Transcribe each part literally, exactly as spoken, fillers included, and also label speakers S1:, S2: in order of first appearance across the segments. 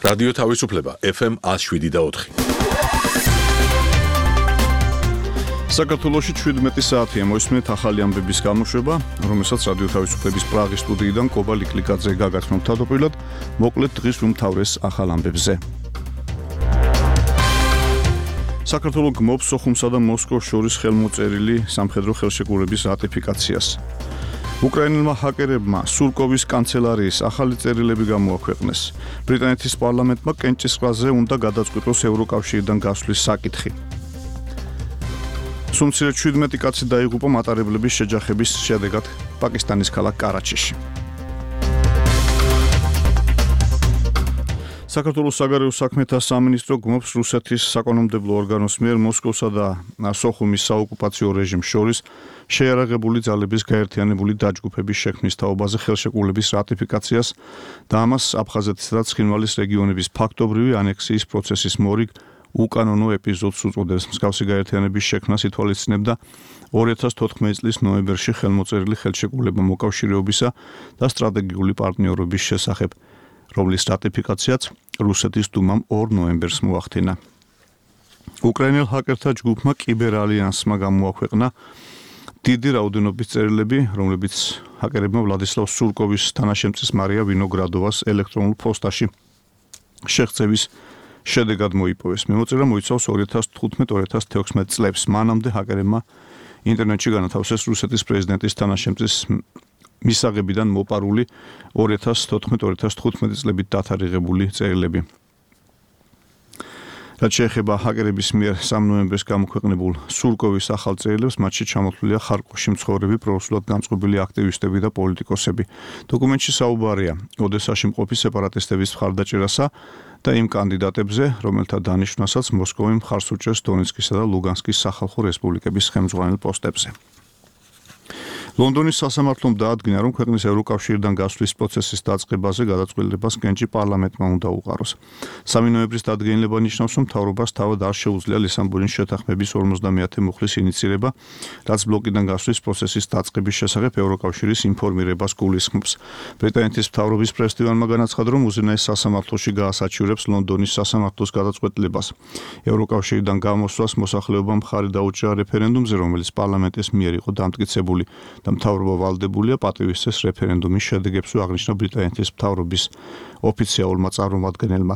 S1: რადიო თავისუფლება ეფ ემ one oh seven და four.
S2: საქართველოში შვიდმეტი საათია მოისმენთ ახალი ამბების გამოშვება, რომელსაც რადიო თავისუფლების პრაღის სტუდიიდან კობა ლიკლიკაძე გაგაცნობთ თავდაპირველად, მოკლედ დღის უმთავრეს ახალ ამბებზე. საქართველო გმობს სოხუმსა და მოსკოვს შორის ხელმოწერილი სამხედრო ხელშეკრულების რატიფიკაციას. უკრაინელმა ჰაკერებმა სურკოვის კანცელარიის ახალი წერილები გამოაქვეყნეს. ბრიტანეთის პარლამენტმა კენჭისყრაზე უნდა გადაწყვიტოს ევროკავშირიდან გასვლის საკითხი. სუმცირე შვიდმეტი კაცი დაიღუპა მატარებლების შეჯახების შედეგად პაკისტანის ქალაქ კარაჩიში. საქართველოს საგარეო საქმეთა სამინისტრო გმობს რუსეთის საკანონმდებლო ორგანოს მიერ მოსკოვსა და სოხუმის საოკუპაციო რეჟიმს შორის შეიარაღებული ძალების გაერთიანებული დაჯგუფების შექმნის თაობაზე ხელშეკრულების რატიფიკაციას და ამას აფხაზეთისა და ცხინვალის რეგიონების ფაქტობრივი ანექსიის პროცესის მორიგ უკანონო ეპიზოდს უწოდებს. მსგავსი გაერთიანების შექმნას ითვალისწინებდა two thousand fourteen წლის ნოემბერში ხელმოწერილი ხელშეკრულება მოკავშირეობისა და სტრატეგიული პარტნიორობის შესახებ, რომლის რატიფიკაციაც რუსეთის დუმამ two ნოემბერს მოახდინა. უკრაინელ ჰაკერთა ჯგუფმა კიბერალიანსმა გამოაქვეყნა დიდი რაოდენობის წერილები, რომლებიც ჰაკერებმა ვლადისლავ სურკოვის თანაშემწის მარია ვინოგრადოვას ელექტრონულ პოსტაში შეღწევის შედეგად მოიპოვეს. მიმოწერა მოიცავს two thousand fifteen two thousand sixteen წლებს. მანამდე ჰაკერებმა ინტერნეტში განათავსეს რუსეთის პრეზიდენტის თანაშემწის მისაღებიდან მოპარული two thousand fourteen two thousand fifteen წლებით დათარიღებული წერილები. რაც შეეხება ჰაკერების მიერ three ნოემბერს გამოქვეყნებულ სურკოვის ახალ წერილებს, მათში ჩამოთვლილია ხარკოვში მცხოვრები პრორუსულად განწყობილი აქტივისტები და პოლიტიკოსები. დოკუმენტში საუბარია ოდესაში მყოფი სეპარატისტების მხარდაჭერასა და იმ კანდიდატებზე, რომელთა დანიშვნასაც მოსკოვი მხარს უჭერს დონეცკისა და ლუგანსკის სახალხო რესპუბლიკების ხელმძღვანელ პოსტებზე. ლონდონის სასამართლომ დაადგინა, რომ ქვეყნის ევროკავშირიდან გასვლის პროცესის დაწყებაზე გადაწყვეტილებას კენჭი პარლამენტმა უნდა უყაროს. three ნოემბრის დადგენილება ნიშნავს, რომ მთავრობას თავად არ შეუძლია ლისაბონის შეთანხმების ორმოცდამეათე მუხლის ინიცირება, რაც ბლოკიდან გასვლის პროცესის დაწყების შესახებ ევროკავშირის ინფორმირებას გულისხმობს. ბრიტანეთის მთავრობის პრეს-ტივანმა განაცხადა, რომ უზენაეს სასამართლოში გაასაჩივრებს ლონდონის სასამართლოს გადაწყვეტილებას. ევროკავშირიდან გამოსვლას მოსახლეობამ მხარი დაუჭირა რეფერენდუმზე, რომელიც პარლამენტის მიერ იყო დამტკიცებული. და მთავრობა ვალდებულია პატივისცეს რეფერენდუმის შედეგებს, აღნიშნა ბრიტანეთის მთავრობის ოფიციალურმა წარმომადგენელმა.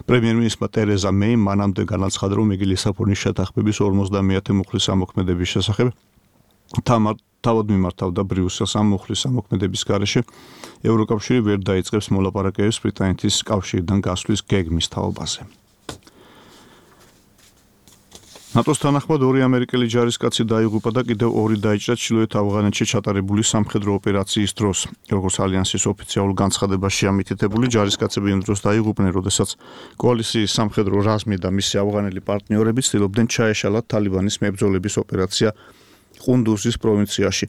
S2: პრემიერ-მინისტრმა ტერეზა მეიმ მანამდე განაცხადა, რომ იგი ლისაბონის შეთანხმების ორმოცდამეათე მუხლის ამოქმედების შესახებ თავად მიმართავდა ბრიუსელს. ამ მუხლის ამოქმედების გარეშე ევროკავშირი ვერ დაიწყებს მოლაპარაკებებს ბრიტანეთის კავშირიდან გასვლის გეგმის თაობაზე. ნატოს თანახმად ორი ამერიკელი ჯარისკაცი დაიღუპა და კიდევ ორი დაიჭრა ჩრდილოეთ ავღანეთში ჩატარებული სამხედრო ოპერაციის დროს. როგორც ალიანსის ოფიციალურ განცხადებაში ამითითებული, ჯარისკაცები იმ დროს დაიღუპნენ, როდესაც კოალიციის სამხედრო რაზმი და მისი ავღანელი პარტნიორები ცდილობდნენ ჩაეშალათ თალიბანის მებრძოლების ოპერაცია ყუნდუზის პროვინციაში.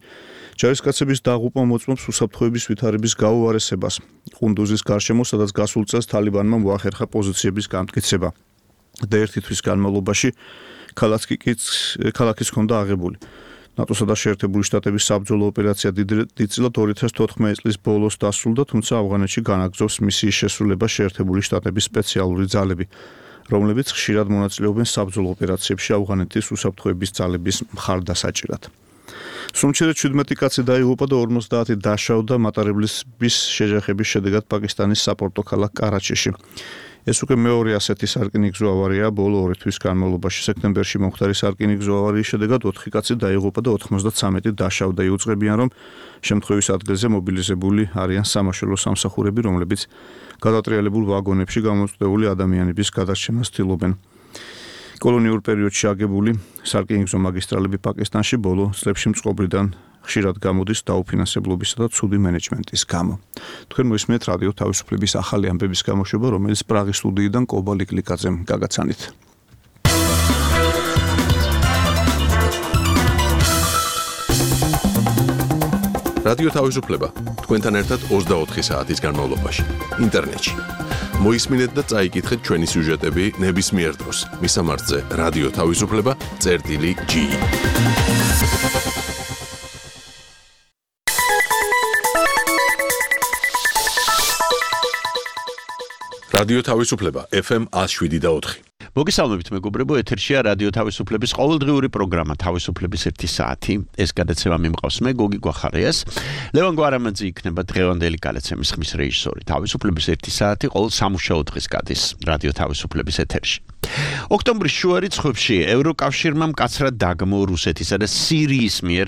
S2: ჯარისკაცების დაღუპვა მოწმობს უსაფრთხოების ვითარების გაუარესებას. ყუნდუზის გარშემო, სადაც გასულ წელს თალიბანმა მოახერხა პოზიციების გამტკიცება და ერთი თვის განმავლობაში ქალაქის ჰქონდა აღებული. ნატოსა და შეერთებული შტატების საბრძოლო ოპერაცია დიდწილად two thousand fourteen წლის ბოლოს დასრულდა, თუმცა ავღანეთში განაგრძობს მისიის შესრულება შეერთებული შტატების სპეციალური ძალები, რომლებიც ხშირად მონაწილეობენ საბრძოლო ოპერაციებში ავღანეთის უსაფრთხოების ძალების მხარდასაჭირად. სუმცირე შვიდმეტი კაცი დაიღუპა და ორმოცდაათი დაშავდა მატარებლების შეჯახების შედეგად პაკისტანის საპორტო ქალაქ კარაჩიში. ეს უკვე მეორე ასეთი სარკინიგზო ავარია ბოლო ორი თვის განმავლობაში. სექტემბერში მომხდარი სარკინიგზო ავარიის შედეგად ოთხი კაცი დაიღუპა და ოცდაათი დაშავდა. იუწყებიან, რომ შემთხვევის ადგილზე მობილიზებული არიან სამაშველო სამსახურები, რომლებიც გადატრიალებულ ვაგონებში გამოწვეული ადამიანების გადარჩენას ცდილობენ. კოლონიურ პერიოდში აგებული სარკინიგზო მაგისტრალები პაკისტანში ბოლო წლებში მწყობრიდან ხშირად გამოდის დაუფინანსებლობისა და ცუდი მენეჯმენტის გამო. თქვენ მოისმენთ რადიო თავისუფლების ახალი ამბების გამოშვება, რომელიც პრაღის სტუდიიდან კობა ლიკლიკაძემ გაგაცანით.
S1: რადიო თავისუფლება თქვენთან ერთად ოცდაოთხი საათის განმავლობაში ინტერნეტში. მოისმინეთ და წაიკითხეთ ჩვენი სიუჟეტები ნებისმიერ დროს. მისამართზე რადიო თავისუფლება წერტილი G. რადიო თავისუფლება ეფ ემ one oh seven და four.
S3: მოგესალმებით მეგობრებო, ეთერშია რადიო თავისუფლების ყოველდღიური პროგრამა თავისუფლების ერთი საათი. ეს გადაცემა მიმყავს მე გოგი გვახარიას. ლევან გვარამაძე იქნება დღევანდელი გადაცემის ხმის რეჟისორი. თავისუფლების ერთი საათი ყოველ სამუშაო დღეს გადის რადიო თავისუფლების ეთერში. ოქტომბრის შუა რიცხვებში ევროკავშირმა მკაცრად დაგმო რუსეთისა და სირიის მიერ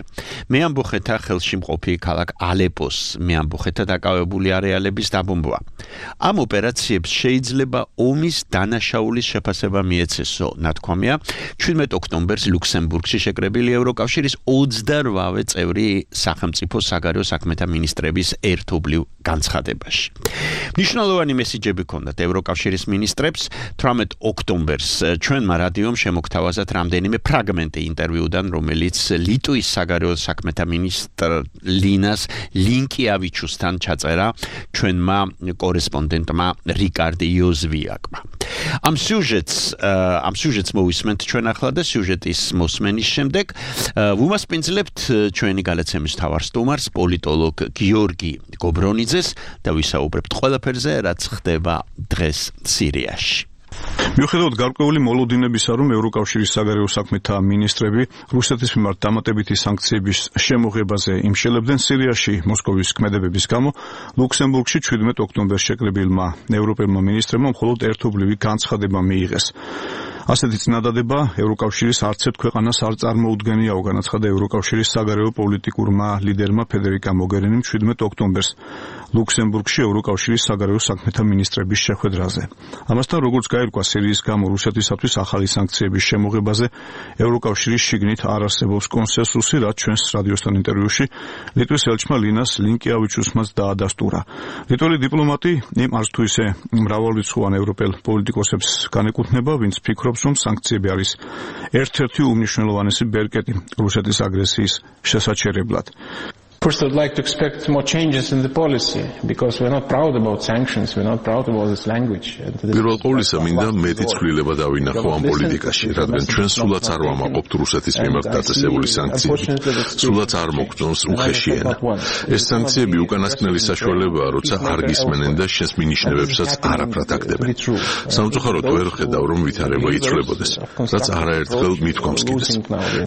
S3: მეამბოხეთა ხელში მყოფი ქალაქ ალეპოს მეამბოხეთა დაკავებული არეალების დაბომბვა. ამ ოპერაციებს შეიძლება ომის დანაშაულის შეფასება მიეცესო, ნათქვამია შვიდმეტ ოქტომბერს ლუქსემბურგში შეკრებილი ევროკავშირის ოცდაოთხ წევრი სახელმწიფო საგარეო საქმეთა მინისტრების ერთობლივ განცხადებაში. მნიშვნელოვანი მესიჯები ჰქონდათ ევროკავშირის მინისტრებს. თვრამეტ ოქტომბერს ჩვენმა რადიომ შემოგთავაზათ რამდენიმე ფრაგმენტი ინტერვიუდან, რომელიც ლიტვის საგარეო საქმეთა მინისტრ ლინას ლინკიავიჩუსთან ჩაწერა ჩვენმა კორესპონდენტმა რიკარდ იოზვიაკმა. ამ სიუჟეტს ამ სიუჟეტს მოვისმენთ ჩვენ ახლა და სიუჟეტის მოსმენის შემდეგ ვუმასპინძლებთ ჩვენი გადაცემის მთავარ სტუმარს, პოლიტოლოგ გიორგი გობრონიძეს და ვისაუბრებთ ყველაფერზე, რაც ხდება დღეს სირიაში.
S2: მიუხედავად გარკვეული მოლოდინებისა, რომ ევროკავშირის საგარეო საქმეთა მინისტრები რუსეთის მიმართ დამატებითი სანქციების შემოღებაზე იმშელებდნენ, სირიაში მოსკოვის ქმედებების გამო ლუქსემბურგში შვიდმეტ ოქტომბერს შეკრებილმა ევროპელმა მინისტრებმა მხოლოდ ერთობლივი განცხადება მიიღეს. ასეთი წინადადება ევროკავშირის არც ერთ ქვეყანას არ წარმოუდგენიაო, განაცხადა ევროკავშირის საგარეო პოლიტიკურმა ლიდერმა ფედერიკა მოგერინიმ შვიდმეტ ოქტომბერს ლუქსემბურგში ევროკავშირის საგარეო საქმეთა მინისტრების შეხვედრაზე. ამასთან, როგორც გაირკვა, სირიის გამო რუსეთისათვის ახალი სანქციების შემოღებაზე ევროკავშირის შიგნით არ არსებობს კონსენსუსი, რაც ჩვენს რადიოსთან ინტერვიუში ლიტვის ელჩმა ლინას ლინკიავიჩუსმაც დაადასტურა. ლიტველი დიპლომატი იმ არც თუ ისე მრავალრიცხოვან ევროპელ პოლიტიკოსებს განეკუთვნება, ვინც ფიქრობს, რომ სანქციები არის ერთ-ერთი უმნიშვნელოვანესი ბერკეტი რუსეთის აგრესიის შესაჩერებლად.
S4: First, I'd like to expect more changes in the policy because we're not proud about sanctions, we're not proud about this language.
S1: პირველ ყოვლისა მინდა მეტი ცვლილება დავინახო ამ პოლიტიკაში, რადგან ჩვენ სულაც არ ვამაყობთ რუსეთის მიმართ დაწესებული სანქციები. სულაც არ მოგწონს უხეში ენა. ეს სანქციები უკანასკნელი საშუალებაა, როცა არ გისმენენ და შენს მინიშნებებსაც არაფრად აკდებენ. სამწუხაროდ ვერ ხედავ, რომ ვითარება იცვლებოდეს, რაც არაერთხელ მithქვამს კიდეც.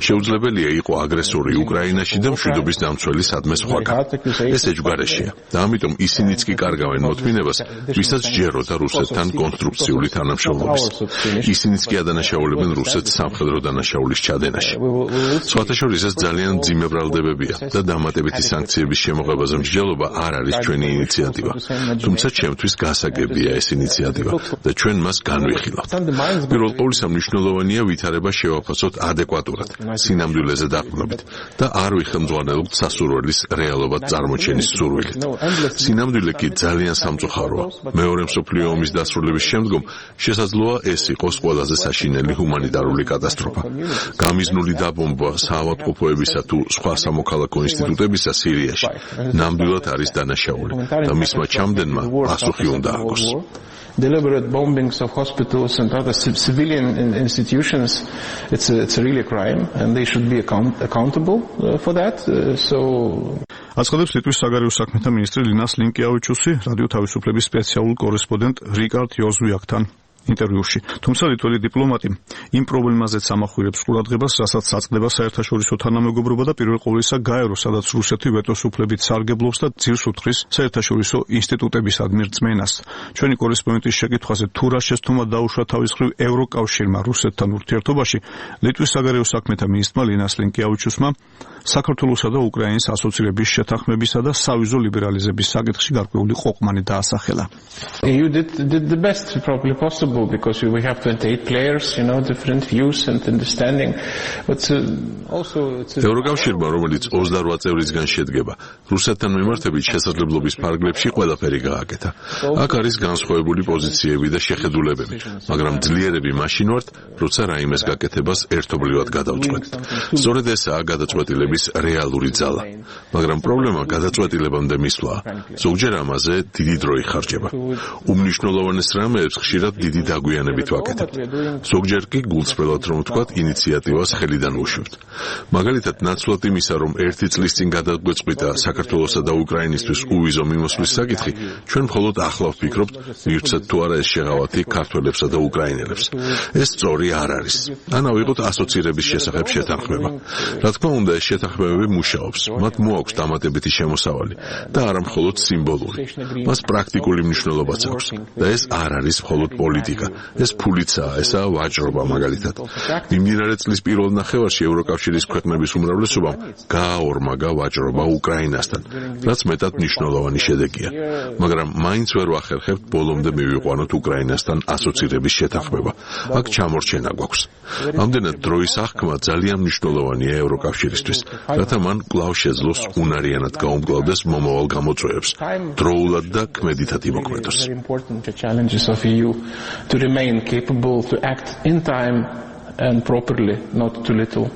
S1: შეუძლებელია იყო აგრესორი უკრაინაში და მშვიდობის დამცველი ეს ეჯგარეშია და ამიტომ ისინიც კი კარგავენ მოთმინებას, ვისაც ჯეროდა რუსეთთან კონსტრუქციული თანამშრომლობის. ისინიც კი ადანაშაულებენ რუსეთს სამხედრო დანაშაულის ჩადენაში. სხვათა შორის ეს ძალიან მძიმე ბრალდებებია და დამატებითი სანქციების შემოღებაზე მსჯელობა არ არის ჩვენი ინიციატივა. თუმცა ჩემთვის გასაგებია ეს ინიციატივა და ჩვენ მას განვიხილავთ. პირველ ყოვლისა მნიშვნელოვანია ვითარება შევაფასოთ ადეკვატურად, სინამდვილეზე დაყრდნობით და არ ვიხელმძღვანელობთ სასურველის რეალობად წარმოჩენის სურვილით. სინამდვილე კი ძალიან სამწუხაროა. მეორე მსოფლიო ომის დასრულების შემდგომ შესაძლოა ეს იყოს ყველაზე საშინელი ჰუმანიტარული კატასტროფა. გამიზნული დაბომბვა საავადმყოფოებისა თუ სხვა სამოქალაქო ინსტიტუტებისა სირიაში ნამდვილად არის დანაშაული და მისმა ჩამდენმა პასუხი უნდა აქვს.
S4: Deliberate bombings of hospitals and other civilian institutions, it's a, it's a really a crime and they should be account, accountable uh, for that. Uh, so
S2: აცხადებს ლიტვის საგარეო საქმეთა მინისტრი ლინას ლინკიავიჩუსი რადიო თავისუფლების სპეციალურ კორესპონდენტ რიკარდ იოზვიაკთან ინტერვიუში. თუმცა ლიტველი დიპლომატი იმ პრობლემაზეც ამახვილებს ყურადღებას, რასაც საწყდება საერთაშორისო თანამეგობრობა და პირველ ყოვლისა გაერო, სადაც რუსეთი ვეტოს უფლებით სარგებლობს და ძირს უთხრის საერთაშორისო ინსტიტუტებისადმი რწმენას. ჩვენი კორესპონდენტის შეკითხვაზე თუ რა შესთქმა დაუშვა თავის მხრივ ევროკავშირმა რუსეთთან ურთიერთობაში, ლიტვის საგარეო საქმეთა მინისტრმა ლინას ლინკიავიჩუსმა საქართველოსა და უკრაინის ასოცირების შეთანხმებისა და სავიზო ლიბერალიზების საკითხში გარკვეული ყოყმანი დაასახელა.
S4: E U did, did the best probably possible because we have twenty-eight players, you know, different views and understanding. But uh, also it's
S1: ევროკავშირმა, რომელიც ოცდაოთხ წევრისგან შედგება, რუსეთთან მიმართებით შესაძლებლობის ფარგლებში ყველაფერი გააკეთა. აქ არის განსხვავებული პოზიციები და შეხედულებები, მაგრამ ძლიერები მაშინ ვართ, როცა რაიმეს გაკეთებას ერთობლივად გადავწყვეტთ. სწორედ ესაა გადაწყვეტილების ოპერაციების რეალური ძალა. მაგრამ პრობლემა გადაწყვეტილებამდე მისვლა. ზოგჯერ ამაზე დიდი დრო იხარჯება. უმნიშვნელოვანეს რამეებს ხშირად დიდი დაგვიანებით ვაკეთებთ. ზოგჯერ კი გულწრფელად რომ ვთქვათ, ინიციატივას ხელიდან ვუშვებთ. მაგალითად, ნაცვლად იმისა, რომ ერთი წლის წინ გადაგვეწყვიტა საქართველოსა და უკრაინისთვის უვიზო მიმოსვლის საკითხი, ჩვენ მხოლოდ ახლა ვფიქრობთ, მივცეთ თუ არა ეს შეღავათი ქართველებსა და უკრაინელებს. ეს სწორი არ არის. ან ავიღოთ ასოცირების შესახებ შეთანხმება. რა თქმა უნდა, ეს შეთანხმებები მუშაობს. მათ მოაქვს დამატებითი შემოსავალი და არა მხოლოდ სიმბოლური. მას პრაქტიკული მნიშვნელობაც აქვს და ეს არ არის მხოლოდ პოლიტიკა. ეს ფულიცაა, ესაა ვაჭრობა მაგალითად. მიმდინარე წლის პირველ ნახევარში ევროკავშირის ქვეყნების უმრავლესობამ გააორმაგა ვაჭრობა უკრაინასთან, რაც მეტად მნიშვნელოვანი შედეგია. მაგრამ მაინც ვერ ვახერხებთ ბოლომდე მივიყვანოთ უკრაინასთან ასოცირების შეთანხმება. აქ ჩამორჩენა გვაქვს. ამდენად დროის აღქმა ძალიან მნიშვნელოვანია ევროკავშირისთვის, რათა მან კვლავ შეძლოს უნარიანად გაუმკლავდეს მომავალ გამოწვევებს, დროულად და ქმედითად იმოქმედოს.
S4: And properly, not too little.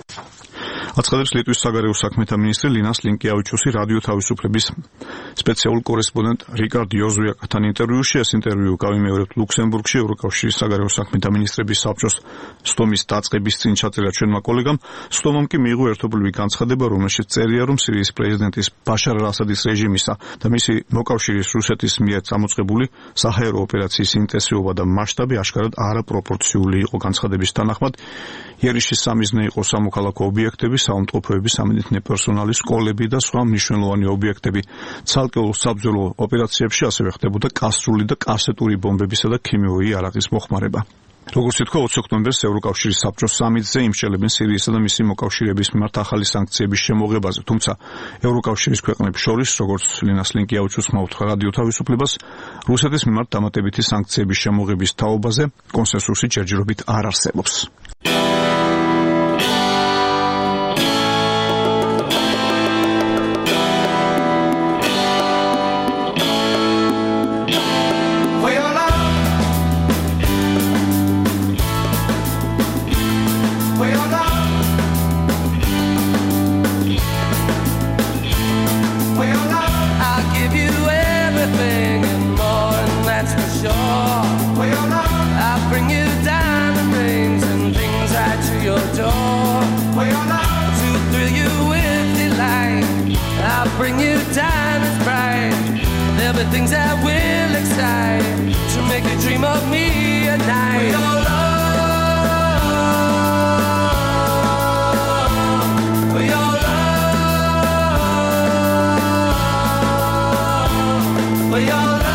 S2: აცხადებს ლიტვის საგარეო საქმეთა მინისტრი ლინას ლინკეავიჩუსი რადიო თავისუფლების სპეციალურ კორესპონდენტ რიკარდ იოზუაკთან ინტერვიუში. ეს ინტერვიუ გავიმეორებთ ლუქსემბურგში ევროკავშირის საგარეო საქმეთა მინისტრების საბჭოს სტომის დაწყების წინ ჩაწერა ჩვენმა კოლეგამ. სტომამ კი მიიღო ერთობლივი განცხადება, რომელშიც წერია, რომ სირიის პრეზიდენტის ბაშარ ალ-ასადის რეჟიმისა და მისი მოკავშირის რუსეთის მიერ წამოწყებული საჰაერო ოპერაციის ინტენსივობა და მასშტაბი აშკარად არაპროპორციული იყო. განცხადების თანახმად იერიშის სამიზნე იყო სამოქალაქო ობიექტები, საავადმყოფოების სამედიცინო პერსონალი, სკოლები და სხვა მნიშვნელოვანი ობიექტები. ცალკეულ საბრძოლო ოპერაციებში ასევე ხდებოდა კასრული და კასეტური ბომბებისა და ქიმიური იარაღის მოხმარება. როგორც ითქვა, ოცი ოქტომბერს ევროკავშირის საბჭოს სამიტზე იმსჯელებენ სირიისა და მისი მოკავშირეების მიმართ ახალი სანქციების შემოღებაზე. თუმცა ევროკავშირის ქვეყნებს შორის, როგორც ლინას ლინკეავიჩუსმა უთხრა რადიო თავისუფლებას, რუსეთის მიმართ დამატებითი სანქციების შემოღების თაობაზე კონსენსუსი ჯერჯერობით არ არსებობს.
S5: Things that will excite to make you dream of me at night. For your love, for your love, for your love.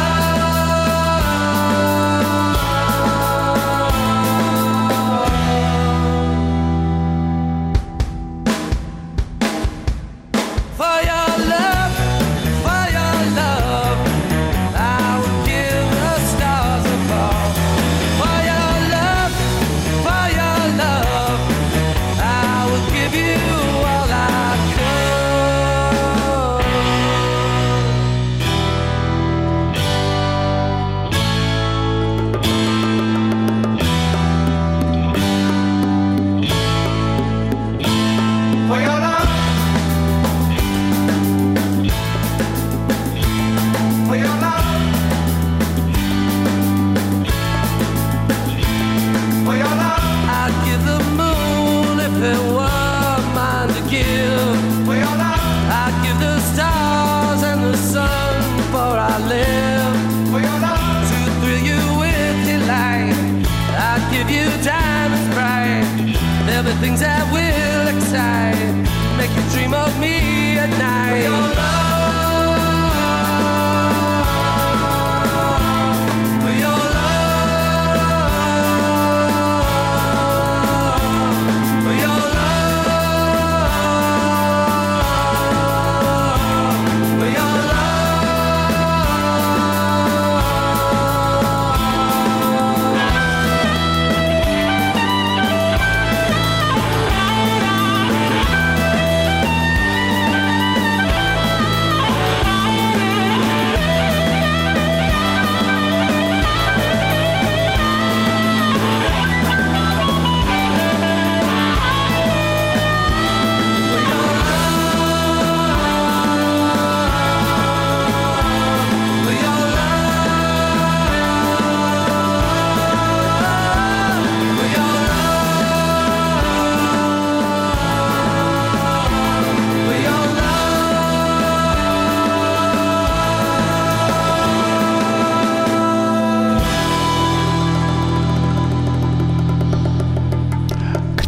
S5: Things that will excite, make you dream of me at night. For your love, for your love, for your love, for your love.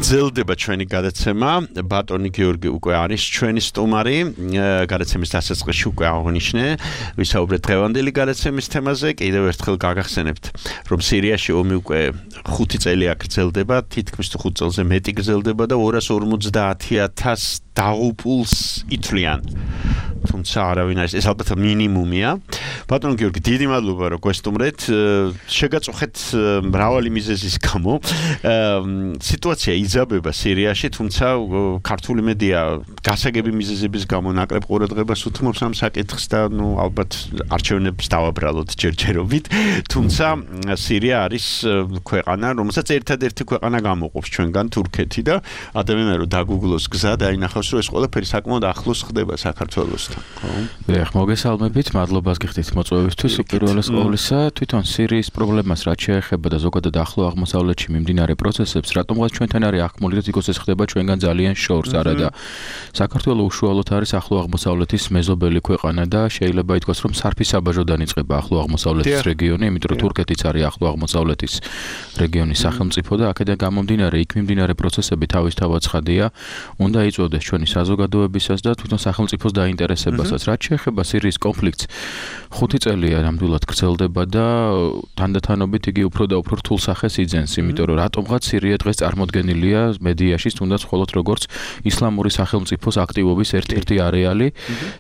S3: გრძელდება ჩვენი გადაცემა. ბატონი გიორგი უკვე არის ჩვენი სტუმარი. გადაცემის დასაწყისში უკვე აღნიშნე, ვისაუბრეთ დღევანდელი გადაცემის თემაზე. კიდევ ერთხელ გაგახსენებთ, რომ სირიაში ომი უკვე ხუთი წელი აგრძელდება, თითქმის ხუთ წელზე მეტი გრძელდება და ორას ორმოცდაათი ათასს დაღუპულს ითვლიან. თუმცა არავინ არის, ეს ალბათ მინიმუმია. ბატონ გიორგი, დიდი მადლობა, რომ გვესტუმრეთ. შეგაწუხეთ მრავალი მიზეზის გამო. სიტუაცია იძაბება სირიაში, თუმცა ქართული მედია გასაგები მიზეზების გამო ნაკლებ ყურადღებას უთმობს ამ საკითხს და ნუ ალბათ არჩევნებს დავაბრალოთ ჯერჯერობით. თუმცა სირია არის ქვეყანა, რომელსაც ერთადერთი ქვეყანა გამოყოფს ჩვენგან თურქეთი და ადამიანები რომ დაგუგლოს გზა და ინახავს რომ ეს ყველაფერი საკმაოდ ახლოს ხდება საქართველოსთან.
S6: ეხ მოგესალმებით, მადლობას გიხდით მოწვევისთვის. უპირველეს ყოვლისა, თვითონ სირიის პრობლემას რაც შეეხება და ზოგადად ახლო აღმოსავლეთში მიმდინარე პროცესებს, რატომღაც ჩვენთან არის ახმული და თვითონ ეს ხდება ჩვენგან ძალიან შორს, არა და საქართველოს უშუალოდ არის ახლო აღმოსავლეთის მეზობელი ქვეყანა და შეიძლება ითქვას, რომ სარფის საბაჟოდან იწყება ახლო აღმოსავლეთის რეგიონი, იმიტომ რომ თურქეთიც არის ახლო აღმოსავლეთის რეგიონის სახელმწიფო და აქედან გამომდინარე, იქ მიმდინარე პროცესები თავისთავად ცხადია, უნდა იწვევდეს ჩვენი საზოგადოებისას და თვითონ სახელმწიფოს დაინტერესებასაც. რაც შეეხება სირიის კონფლიქტს, ხუთი წელია ნამდვილად გრძელდება და თანდათანობით იგი უფრო და უფრო რთულ სახეს იძენს, იმიტომ რომ რატომღაც სირია დღეს წარმოდგენილია მედიაში, თუნდაც მხოლოდ როგორც ისლამური სახელმწიფოს აქტივობის ერთ-ერთი არეალი,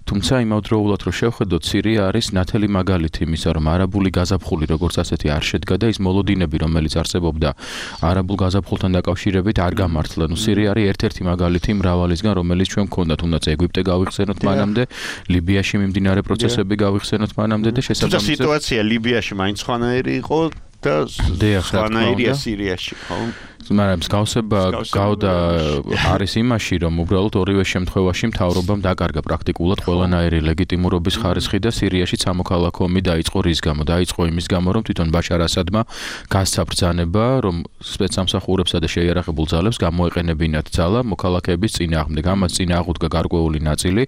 S6: თუმცა იმავდროულად რომ შევხედოთ, სირია არის ნათელი მაგალითი იმისა, რომ არაბული გაზაფხული როგორც ასეთი არ შედგა და ის მოლოდინები, რომელიც არსებობდა არაბულ გაზაფხულთან დაკავშირებით არ გამართლა. ნუ სირია არის ერთ-ერთი მაგალითი მრავალისგან, რომელიც ჩვენ გქონდათ, თუნდაც ეგვიპტე გავიხსენოთ მანამდე, ლიბიაში მიმდინარე პროცესები გავიხსენოთ მანამდე და შესაბამისად
S3: სიტუაცია ლიბიაში მაინც ხვანაირი იყო და ხვანაირია სირიაში, ხო?
S6: მაგრამ მსგავსება გავდა არის იმაში, რომ უბრალოდ ორივე შემთხვევაში მთავრობამ დაკარგა პრაქტიკულად ყველანაირი ლეგიტიმურობის ხარისხი და სირიაში სამოქალაქო ომი დაიწყო რის გამო? დაიწყო იმის გამო, რომ თვითონ ბაშარ ასადმა გასცა ბრძანება, რომ სპეცსამსახურებსა და შეიარაღებულ ძალებს გამოეყენებინათ ძალა მოქალაქეების წინააღმდეგ. ამას წინააღუდგა გარკვეული ნაწილი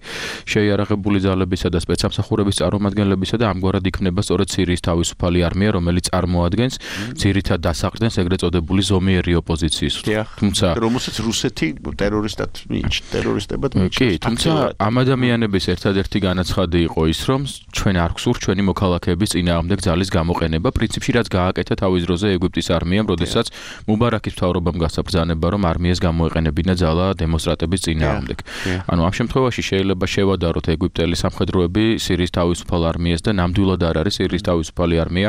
S6: შეიარაღებული ძალებისა და სპეცსამსახურების წარმომადგენლებისა და ამგვარად იქმნება სწორედ სირიის თავისუფალი არმია, რომელიც წარმოადგენს ძირითად დასაყრდენს ეგრეთ წოდებული ზომიერი ოპოზიციის.
S3: თუმცა რომელსაც რუსეთი ტერორისტად მიიჩნევს, ტერორისტებად მიიჩნევს.
S6: კი, თუმცა ამ ადამიანების ერთადერთი განაცხადი იყო ის, რომ ჩვენ არ გვსურთ ჩვენი მოქალაქეების წინააღმდეგ ძალის გამოყენება, პრინციპში რაც გააკეთა თავის დროზე ეგვიპტის არმიამ, როდესაც მუბარაკის მთავრობამ გასცა ბრძანება, რომ არმიას გამოეყენებინა ძალა დემონსტრანტების წინააღმდეგ. ანუ ამ შემთხვევაში შეიძლება შევადაროთ ეგვიპტელი სამხედროები სირიის თავისუფალ არმიას და ნამდვილად არ არის სირიის თავისუფალი არმია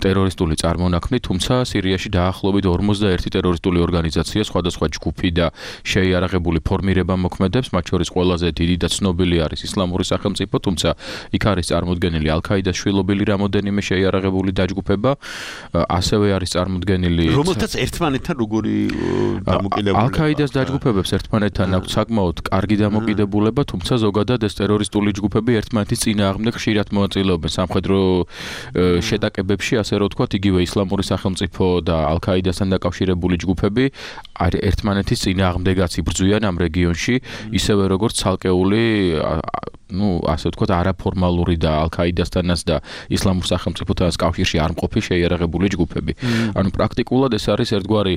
S6: ტერორისტული წარმონაქმნი, თუმცა სირიაში დაახლოებით ორმოცდაერთი ტერორისტული ორგანიზაცია, სხვადასხვა ჯგუფი და შეიარაღებული ფორმირება მოქმედებს, მათ შორის ყველაზე დიდი და ცნობილი არის ისლამური სახელმწიფო, თუმცა იქ არის წარმოდგენილი ალ-ქაიდას შვილობილი რამოდენიმე შეიარაღებული დაჯგუფება, ასევე არის წარმოდგენილი
S3: რომელთაც ერთმანეთთან როგორი დამოკიდებულება.
S6: ალ-ქაიდას დაჯგუფებებს ერთმანეთთან აქვს საკმაოდ კარგი დამოკიდებულება, თუმცა ზოგადად ეს ტერორისტული ჯგუფები ერთმანეთის წინააღმდეგ ხშირად მონაწილეობენ სამხედრო შეტაკებებში, ასე რომ ვთქვათ, იგივე ისლამური სახელმწიფო და ალ-ქაიდასთან დაკავშირებული ჯგუფები ერთმანეთის წინააღმდეგაც იბრძვიან ამ რეგიონში, ისევე როგორც ცალკეული, ну, ასე ვთქვათ, არაფორმალური და ალ-ქაიდასთანაც და ისლამურ სახელმწიფოთანაც კავშირში არ მყოფი შეიარაღებული ჯგუფები. ანუ პრაქტიკულად ეს არის ერთგვარი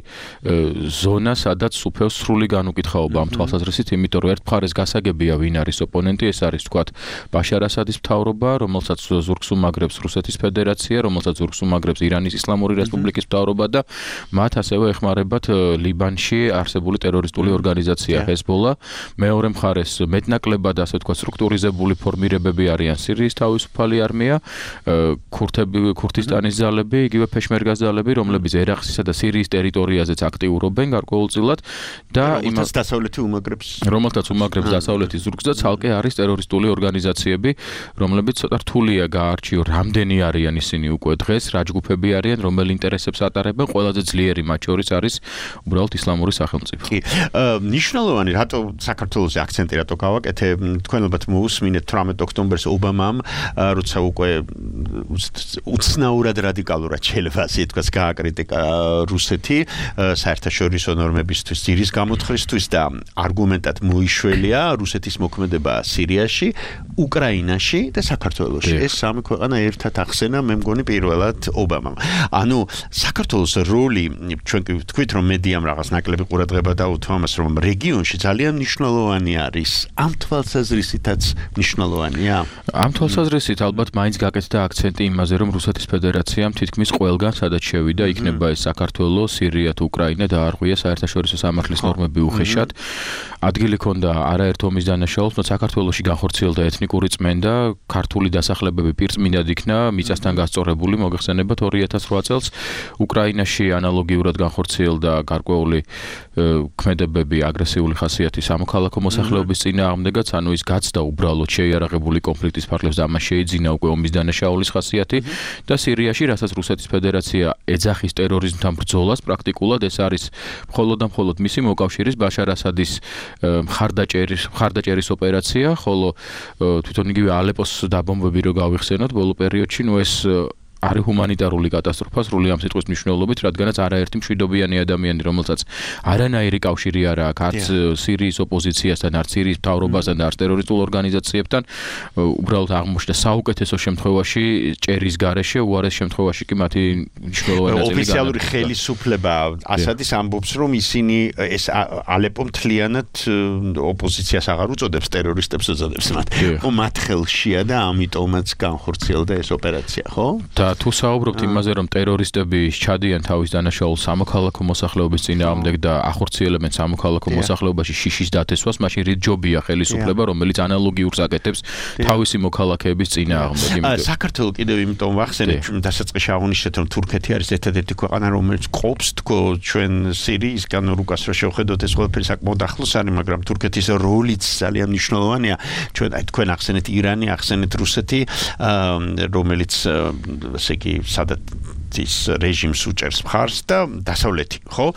S6: ზონა, სადაც უფევს სრული განუკითხაობა ამ თვალსაზრისით, იმიტომ რომ ერთ მხარეს გასაგებია ვინ არის ოპონენტი, ეს არის ვთქვათ ბაშარ ასადის მთავრობა, რომელსაც ზურგს უმაგრებს რუსეთის ფედერაცია, რომელსაც ზურგს უმაგრებს ირანის ისლამური რესპუბლიკის მთავრობა და მათ ასევე ეხმარებათ ლიბანში არსებული ტერორისტული ორგანიზაცია ჰეზბოლა. მეორე მხარეს მეტნაკლებად ასე ვთქვათ სტრუქტურიზებული ფორმირებები არიან სირიის თავისუფალი არმია, ქურთები, ქურთისტანის ძალები, იგივე ფეშმერგას ძალები, რომლებიც ერაყსისა და სირიის ტერიტორიაზეც აქტიურობენ გარკვეულწილად და
S3: იმას დასავლეთი უმაგრებს,
S6: რომელთაც უმაგრებს დასავლეთის ზურგს და ცალკე არის ტერორისტული ორგანიზაციები, რომლებიც ცოტა რთულია გაარჩიო, რამდენი არიან ისინი უკვე დღეს, რა ჯგუფები არიან, რომელ ინტერესებს ატარებენ, ყველაზე ძლიერი მათ შორის არის უბრალოდ ისლამური სახელმწიფო.
S3: კი. ნიშნულოვანი რატო საქართველოს აქცენტი რატო გავაკეთე, თქვენ ალბათ მოусმინეთ თვრამეტ ოქტომბერს ობამამ, როცა უკვე უცნაურად რადიკალურად შეიძლება ასე ითქვას გააკრიტიკა რუსეთი საერთაშორისო ნორმებისთვის, ძირის გამოთხრისთვის და არგუმენტად მოიშველია რუსეთის მოქმედება სირიაში, უკრაინაში და საქართველოში. ეს სამი ქვეყანა ერთად ახსენა, მე მგონი პირველად ობამამ. ანუ საქართველოს როლი ჩვენ თქვით რომ მედიამ რაღაც ნაკლები ყურადღება დაუთმო ამას რომ რეგიონში ძალიან მნიშვნელოვანი არის. ამ თვალსაზრისითაც მნიშვნელოვანია.
S6: ამ თვალსაზრისით ალბათ მაინც გაკეთდა აქცენტი იმაზე რომ რუსეთის ფედერაციამ თითქმის ყველგან სადაც შევიდა იქნება ეს საქართველო, სირია თუ უკრაინა დაარღვია საერთაშორისო სამართლის ნორმები უხეშად. ადგილი ქონდა არაერთ ომის დანაშაულს, თუმცა საქართველოში განხორციელდა ეთნიკური წმენდა, ქართული დასახლებები პირწმინდად იქნა მიწასთან გასწორებული, მოგეხსენებათ ორი ათას რვა წელს. უკრაინაში ანალოგიურად განხორციელდა გარკვეული ქმედებები აგრესიული ხასიათის სამოქალაქო მოსახლეობის წინააღმდეგაც, ანუ ის გაცდა უბრალოდ შეიარაღებული კონფლიქტის ფარგლებს და მას შეიძინა უკვე ომის დანაშაულის ხასიათი და სირიაში, რასაც რუსეთის ფედერაცია ეძახის ტერორიზმთან ბრძოლას, პრაქტიკულად ეს არის მხოლოდ და მხოლოდ მისი მოკავშირის ბაშარ ასადის მხარდაჭერის მხარდაჭერის ოპერაცია, ხოლო თვითონ იგივე ალეპოს დაბომბები რო გავიხსენოთ ბოლო პერიოდში, ნუ ეს არის ჰუმანიტარული კატასტროფა სრული ამ სიტყვის მნიშვნელობით, რადგანაც არაერთი მშვიდობიანი ადამიანი, რომელსაც არანაირი კავშირი არ აქვს არც სირიის ოპოზიციასთან, არც სირიის მთავრობასთან და არც ტერორისტულ ორგანიზაციებთან, უბრალოდ აღმოჩნდა საუკეთესო შემთხვევაში ჭერის გარეშე, უარეს შემთხვევაში კი მათი მნიშვნელოვანი ნაწილი
S3: ოფიციალური ხელისუფლება ასადის ამბობს, რომ ისინი ეს ალეპო მთლიანად ოპოზიციას აღარ უწოდებს, ტერორისტებს უწოდებს მათ. ხო, მათ ხელშია და ამიტომაც განხორციელდა ეს ოპერაცია, ხო?
S6: თუ საუბრობთ იმაზე, რომ ტერორისტები ჩადიან თავის დანაშაულს სამოქალაქო მოსახლეობის წინააღმდეგ და ახორციელებენ სამოქალაქო მოსახლეობაში შიშის დათესვას, მაშინ რით ჯობია ხელისუფლება, რომელიც ანალოგიურს აკეთებს თავისი მოქალაქეების წინააღმდეგ.
S3: საქართველოს კიდევ იმიტომ ვახსენებ, დასაწყისში აღნიშნეთ, რომ თურქეთი არის ერთადერთი ქვეყანა, რომელიც ყოფს თქო ჩვენ სირიისგან რუკას რო შევხედოთ, ეს ყველაფერი საკმაოდ ახლოს არის, მაგრამ თურქეთის როლიც ძალიან მნიშვნელოვანია. ჩვენ აი თქვენ ახსენეთ ირანი, ახსენეთ რუსეთი, რომელიც ესე იგი სადაც ის რეჟიმს უჭერს მხარს და დასავლეთი, ხო?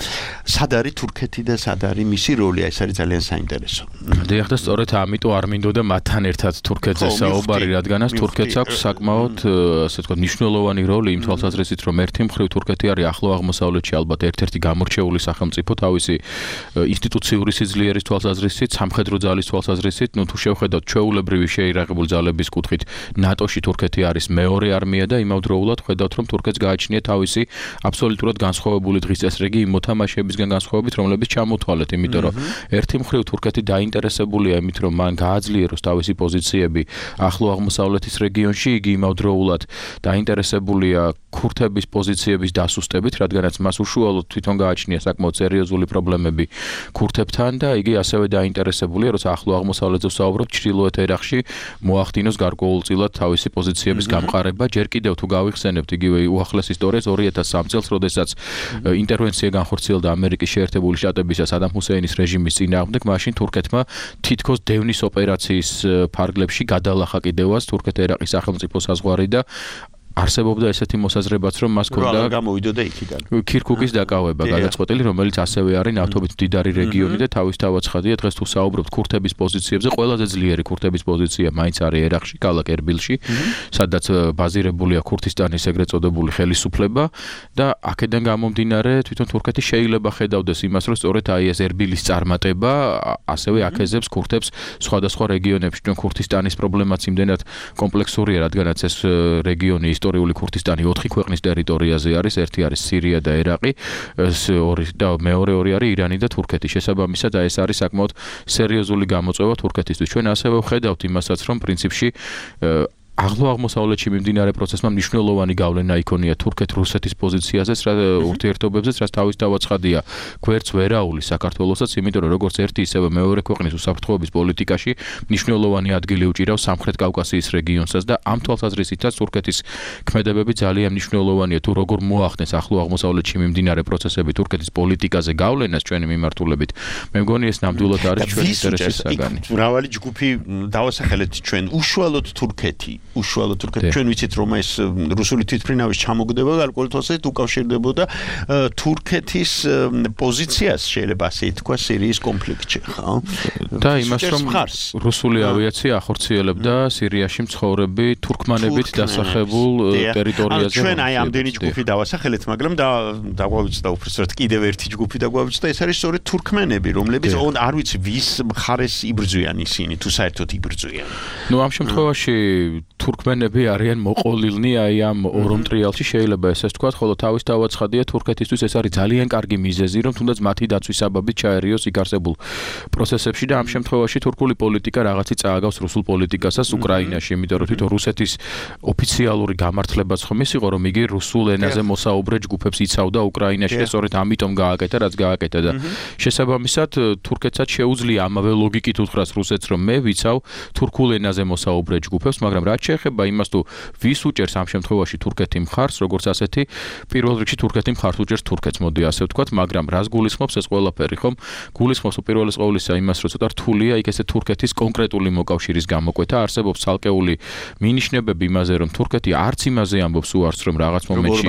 S3: სად არის თურქეთი და სად არის მისი როლი? ეს არის ძალიან საინტერესო.
S6: დიახ და სწორედ ამიტომ არ მინდოდა მათთან ერთად თურქეთზე საუბარი, რადგანაც თურქეთს აქვს საკმაოდ, ასე ვთქვათ, მნიშვნელოვანი როლი იმ თვალსაზრისით, რომ ერთი მხრივ თურქეთი არის ახლო აღმოსავლეთში ალბათ ერთ-ერთი გამორჩეული სახელმწიფო თავისი ინსტიტუციური სიძლიერის თვალსაზრისით, სამხედრო ძალის თვალსაზრისით, ნუ თუ შევხედავთ ჩვეულებრივი შეიარაღებული ძალების კუთხით, ნატოში თურქეთი არის მეორე არმია და იმავდროულად ხედავთ, რომ თურქეთს გააჩნია თავისი აბსოლუტურად განსხვავებული დღის წესრიგი იმ მოთამაშეებისგან განსხვავებით, რომლებიც ჩამოთვალეთ, იმიტომ რომ ერთი მხრივ თურქეთი დაინტერესებულია იმით, რომ მან გააძლიეროს თავისი პოზიციები ახლო აღმოსავლეთის რეგიონში, იგი იმავდროულად დაინტერესებულია ქურთების პოზიციების დასუსტებით, რადგანაც მას უშუალოდ თვითონ გააჩნია საკმაოდ სერიოზული პრობლემები ქურთებთან და იგი ასევე დაინტერესებულია, როცა ახლო აღმოსავლეთზე ვსაუბრობთ, ჩრდილოეთ ერაყში მოახდინოს გარკვეულწილად თავისი პოზიციების გამყარება. ჯერ კიდევ თუ გავიხსენებთ იგივე უახლეს ისტორიას ორი ათას სამი წელს, როდესაც ინტერვენცია განხორციელდა ამერიკის შეერთებული შტატებისა სადამ ჰუსეინის რეჟიმის წინააღმდეგ, მაშინ თურქეთმა თითქოს დევნის ოპერაციის ფარგლებში გადალახა კიდევაც თურქეთ-ერაყის სახელმწიფო საზღვარი და არსებობდა ესეთი მოსაზრებაც, რომ მას ჰქონდა
S3: გამოვიდოდა იქიდან.
S6: ქირქუქის დაკავება გადაწყვეტილი, რომელიც ასევე არის ნავთობით მდიდარი რეგიონი და თავის თავად ცხადია, დღეს თუ საუბრობთ ქურთების პოზიციებზე, ყველაზე ძლიერი ქურთების პოზიცია მაინც არის ერაყში, ქალაქ ერბილში, სადაც ბაზირებულია ქურთისტანის ეგრეთ წოდებული ხელისუფლება და აქედან გამომდინარე, თვითონ თურქეთი შეიძლება ხედავდეს იმას, რომ სწორედ აი ეს ერბილის წარმატება ასევე აკეზებს ქურთებს სხვადასხვა რეგიონებში. ჩვენ ქურთისტანის პრობლემაც იმდენად კომპლექსურია, რადგანაც ეს რეგიონი ისტორიული ქურთისტანი ოთხი ქვეყნის ტერიტორიაზე არის, ერთი არის სირია და ერაყი, ორი და მეორე ორი არის ირანი და თურქეთი. შესაბამისად, ეს არის საკმაოდ სერიოზული გამოწვევა თურქეთისთვის. ჩვენ ასევე ვხედავთ იმასაც, რომ პრინციპში ახლო აღმოსავლეთში მიმდინარე პროცესმა მნიშვნელოვანი გავლენა იქონია თურქეთ-რუსეთის პოზიციაზეც, ურთიერთობებზეც, რაც თავის თავად ცხადია. გვერდს ვერაულის საქართველოსაც, იმიტომ რომ როგორც ერთი ისევე მეორე ქვეყნის უსაფრთხოების პოლიტიკაში მნიშვნელოვანი ადგილი უჭირავს სამხრეთ კავკასიის რეგიონსაც და ამ თვალსაზრისითაც თურქეთის ქმედებები ძალიან მნიშვნელოვანია. თუ როგორ მოახდენს ახლო აღმოსავლეთში მიმდინარე პროცესები თურქეთის პოლიტიკაზე გავლენას ჩვენი მიმართულებით, მე მგონი ეს ნამდვილად არის ჩვენი ინტერესის საგანი.
S3: მრავალი ჯგუფი დავასახელეთ ჩვენ უშუალოდ თურქეთი უშუალოდ თურქეთს. ჩვენ ვიცით რომ ეს რუსული თვითმფრინავის ჩამოგდება გარკვეულ თვალსაზრისით უკავშირდებოდა თურქეთის პოზიციას შეიძლება ასე ითქვა სირიის კონფლიქტში, ხო?
S6: და იმას რომ რუსული ავიაცია ახორციელებდა სირიაში მცხოვრები თურქმანებით დასახებულ ტერიტორიაზე.
S3: ჩვენ აი ამდენი ჯგუფი დავასახელეთ, მაგრამ და დაგვავიწყდა უბრალოდ კიდევ ერთი ჯგუფი დაგვავიწყდა, ეს არის სწორედ თურქმენები, რომლებიც არ ვიცი ვის მხარეს იბრძვიან ისინი, თუ საერთოდ იბრძვიან.
S6: ნუ ამ შემთხვევაში თურქმენები არიან მოყოლილნი აი ამ ორ მტრიალში შეიძლება ესეც თქვა, ხოლო თავის დავაცხადია თურქეთისთვის ეს არის ძალიან კარგი მიზეზი, რომ თუნდაც მათი დაცვის საბაბით ჩაერიოს იქ არსებულ პროცესებში და ამ შემთხვევაში თურქული პოლიტიკა რაღაცი წააგავს რუსულ პოლიტიკასაც უკრაინაში, იმიტომ რომ თვითონ რუსეთის ოფიციალური გამართლებაც ხომ ის იყო, რომ იგი რუსულ ენაზე მოსაუბრე ჯგუფებს იცავდა უკრაინაში და სწორედ ამიტომ გააკეთა, რაც გააკეთა და შესაბამისად თურქეთსაც შეუძლია ამავე ლოგიკით უთხრას რუსეთს, რომ მე ვიცავ თურქულ ენაზე მოსაუბრე ჯგუფებს, მაგრამ რაც შეეხება იმას თუ ვის უჭერს ამ შემთხვევაში თურქეთი მხარს, როგორც ასეთი პირველ რიგში თურქეთი მხარს უჭერს თურქეთს, მოდი ასე ვთქვათ, მაგრამ რას გულისხმობს ეს ყველაფერი, ხომ? გულისხმობს უპირველეს ყოვლისა იმას, რომ ცოტა რთულია იქ ესე თურქეთის კონკრეტული მოკავშირის გამოკვეთა, არსებობს ცალკეული მინიშნებები იმაზე, რომ თურქეთი არც იმაზე ამბობს უარს, რომ რაღაც მომენტში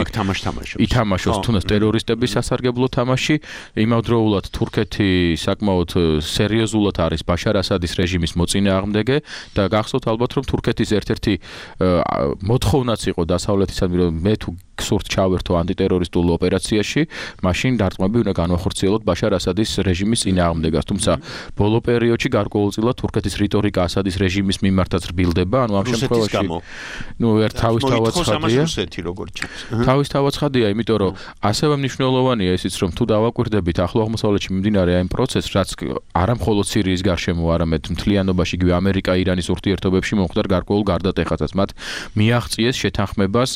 S6: ითამაშოს თუნდაც ტერორისტების სასარგებლო თამაში, იმავდროულად თურქეთი საკმაოდ სერიოზულად არის ბაშარ ასადის რეჟიმის მოწინააღმდეგე და გახსოვთ ალბათ, რომ თურქეთის ერთ-ერთი მოთხოვნაც იყო დასავლეთისადმი, რომ მე თუ გსურთ ჩავერთო ანტიტერორისტულ ოპერაციაში, მაშინ დარტყმები უნდა განვახორციელოთ ბაშარ ასადის რეჟიმის წინააღმდეგას. თუმცა ბოლო პერიოდში გარკვეულწილად თურქეთის რიტორიკა ასადის რეჟიმის მიმართაც რბილდება, ანუ ამ შემთხვევაში ნუ ერთ თავისთავად ცხადია. თავისთავად ცხადია, იმიტომ რომ ასევე მნიშვნელოვანია ისიც, რომ თუ დავაკვირდებით ახლო აღმოსავლეთში მიმდინარე აი პროცესს, რაც არა მხოლოდ სირიის გარშემო, არამედ მთლიანობაში იგივე ამერიკა-ირანის ურთიერთობებში მომხდარ გარკვეულ გარდატეხასაც, მათ მიაღწიეს შეთანხმებას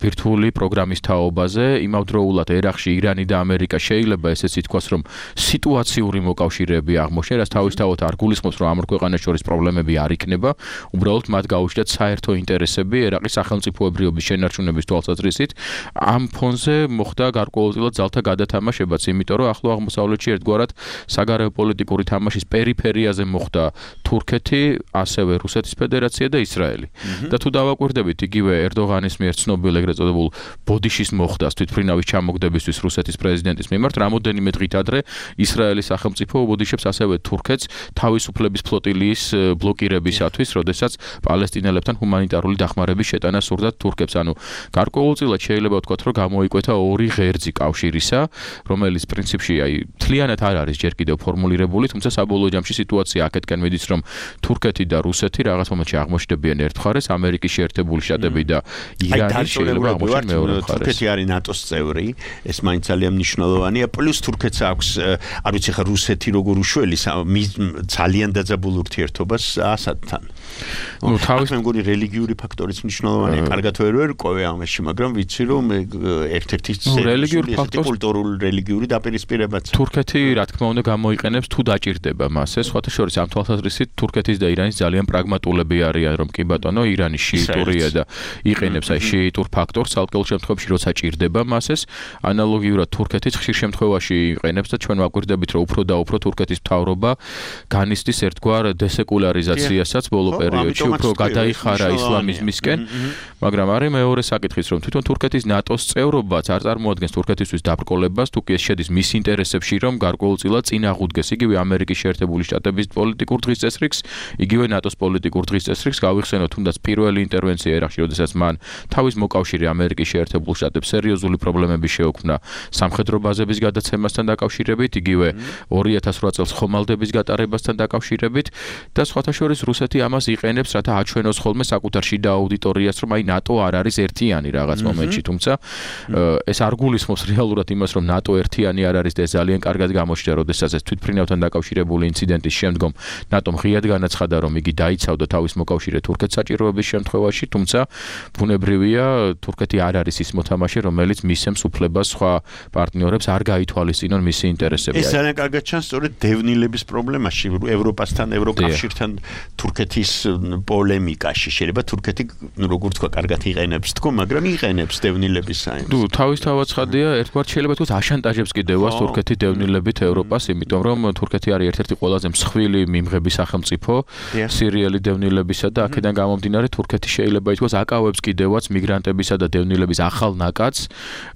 S6: ბირთვული პროგრამის თაობაზე, იმავდროულად ერაყში ირანი და ამერიკა შეიძლება ესეც ითქვას, რომ სიტუაციური მოკავშირეები აღმოჩნდა, რაც თავისთავად არ გულისხმობს, რომ ამ ორ ქვეყანას შორის პრობლემები არ იქნება, უბრალოდ მათ გაუჩნდათ საერთო ინტერესები ერაყის სახელმწიფოებრიობის შენარჩუნების თვალსაზრისით. ამ ფონზე მოხდა გარკვეულწილად ძალთა გადათამაშებაც, იმიტომ რომ ახლო აღმოსავლეთში ერთგვარად საგარეო პოლიტიკური თამაშის პერიფერიაზე მოხდა თურქეთი, ასევე რუსეთის ფედერაცია და ისრაელი. და თუ დავაკვირდებით იგივე ერდოღანის მიერ ცნობილ ეგრეთ წოდებულ ბოდიშის მოხდას თვითმფრინავის ჩამოგდებისთვის რუსეთის პრეზიდენტის მიმართ, რამოდენიმე დღით ადრე ისრაელის სახელმწიფო უბოდიშებს ასევე თურქეთს თავისუფლების ფლოტილიის ბლოკირებისათვის, როდესაც პალესტინელებთან ჰუმანიტარული დახმარების შეტანა სურდათ თურქებს. ანუ გარკვეულწილად შეიძლება ვთქვათ, რომ გამოიკვეთა ორი ღერძი კავშირისა, რომელიც პრინციპში აი მთლიანად არ არის ჯერ კიდევ ფორმულირებული, თუმცა საბოლოო ჯამში სიტუაცია აქეთკენ მიდის, რომ თურქეთი და რუსეთი რაღაც მომენტში აღმოჩნდებიან ერთ მხარეს, ამერიკის შეერთებული შტატები და ირანი შეიძლება აღმოჩნდნენ მეორე მხარეს.
S3: თურქეთი არის ნატოს წევრი, ეს მაინც ძალიან მნიშვნელოვანია, პლუს თურქეთს აქვს, არ ვიცი ხა რუსეთი როგორ უშველის ძალიან დაძაბულ ურთიერთობას ასადთან.
S6: ნუ თავის
S3: მე მგონი რელიგიური ფაქტორიც მნიშვნელოვანია, კარგად ვერ ვერკვევი ამაში, მაგრამ ვიცი რომ ერთ-ერთი
S6: რელიგიური ფაქტორი
S3: კულტურული რელიგიური დაპირისპირებაც.
S6: თურქეთი რა თქმა უნდა გამოიყენებს თუ დაჭირდება მას. ეს სხვათა შორის ამ თვალსაზრისით თურქეთის და ირანის ძალიან პრაგმატულები არიან, რომ კი ბატონო, ირანი შიიტურია და იყენებს აი შიიტურ ფაქტორს ცალკეულ შემთხვევებში, როცა ჭირდება მას ეს. ანალოგიურად თურქეთიც ხშირ შემთხვევაში იყენებს და ჩვენ ვაკვირდებით, რომ უფრო და უფრო თურქეთის მთავრობა განიცდის ერთგვარ დესეკულარიზაციასაც ბოლო პერიოდში, უფრო გადაიხარა ისლამიზმისკენ, მაგრამ არის მეორე საკითხიც, რომ თვითონ თურქეთის ნატოს წევრობაც არ წარმოადგენს თურქეთისთვის დაბრკოლებას, თუ კი ეს შედის მის ინტერესებში, რომ გარკვეულწილად წინ აღუდგეს იგივე ამერიკის შეერთებული შტატების პოლიტიკურ დღესწესრიგს, იგივე ნატოს პოლიტიკურ დღესწესრიგს, გავიხსენოთ თუნდაც პირველი ინტერვენცია ერაყში, როდესაც მან თავის მოკავშირე ამერიკის შეერთებულ შტატებს სერიოზული პრობლემები შეუქმნა სამხედრო ბაზების გადაცემასთან დაკავშირებით, იგივე ორი ათას რვა წელს ხომალდების გატარებასთან დაკავშირებით და სხვათა შორის რუსეთი ამას იყენებს, რათა აჩვენოს ხოლმე საკუთარ შიდა აუდიტორიას, რომ აი ნატო არ არის ერთიანი რაღაც მომენტში, თუმცა ეს არ გულისხმობს რეალურად იმას, რომ ნატო ერთიანი არ არის და ეს ძალიან კარგად გამოჩნდა, როდესაც ეს თვითმფრინავთან დაკავშირებული ინციდენტის შემდგომ ნატომ ღიად განაცხადა, რომ იგი დაიცავდა თავის მოკავშირე თურქეთს საჭიროების შემთხვევაში, თუმცა ბუნებრივია თურქეთს თურქეთი არ არის ის მოთამაშე, რომელიც მისცემს უფლებას სხვა პარტნიორებს არ გაითვალისწინონ მისი ინტერესები.
S3: ეს ძალიან კარგად ჩანს სწორედ დევნილების პრობლემაში, ევროპასთან, ევროკავშირთან თურქეთის პოლემიკაში. შეიძლება თურქეთი, როგორც თქვა, კარგად იყენებს თქო, მაგრამ იყენებს დევნილების საიმს.
S6: ნუ თავისთავად ცხადია, ერთგვარად შეიძლება თქვა აშანტაჟებს კიდევაც თურქეთი დევნილებით ევროპას, იმიტომ რომ თურქეთი არის ერთ-ერთი ყველაზე მსხვილი მიმღები სახელმწიფო სირიელი დევნილებისა და აქედან გამომდინარე თურქეთი შეიძლება ითქვას აკავებს კიდევაც მიგრანტებისა და დევნილების ახალ ნაკადს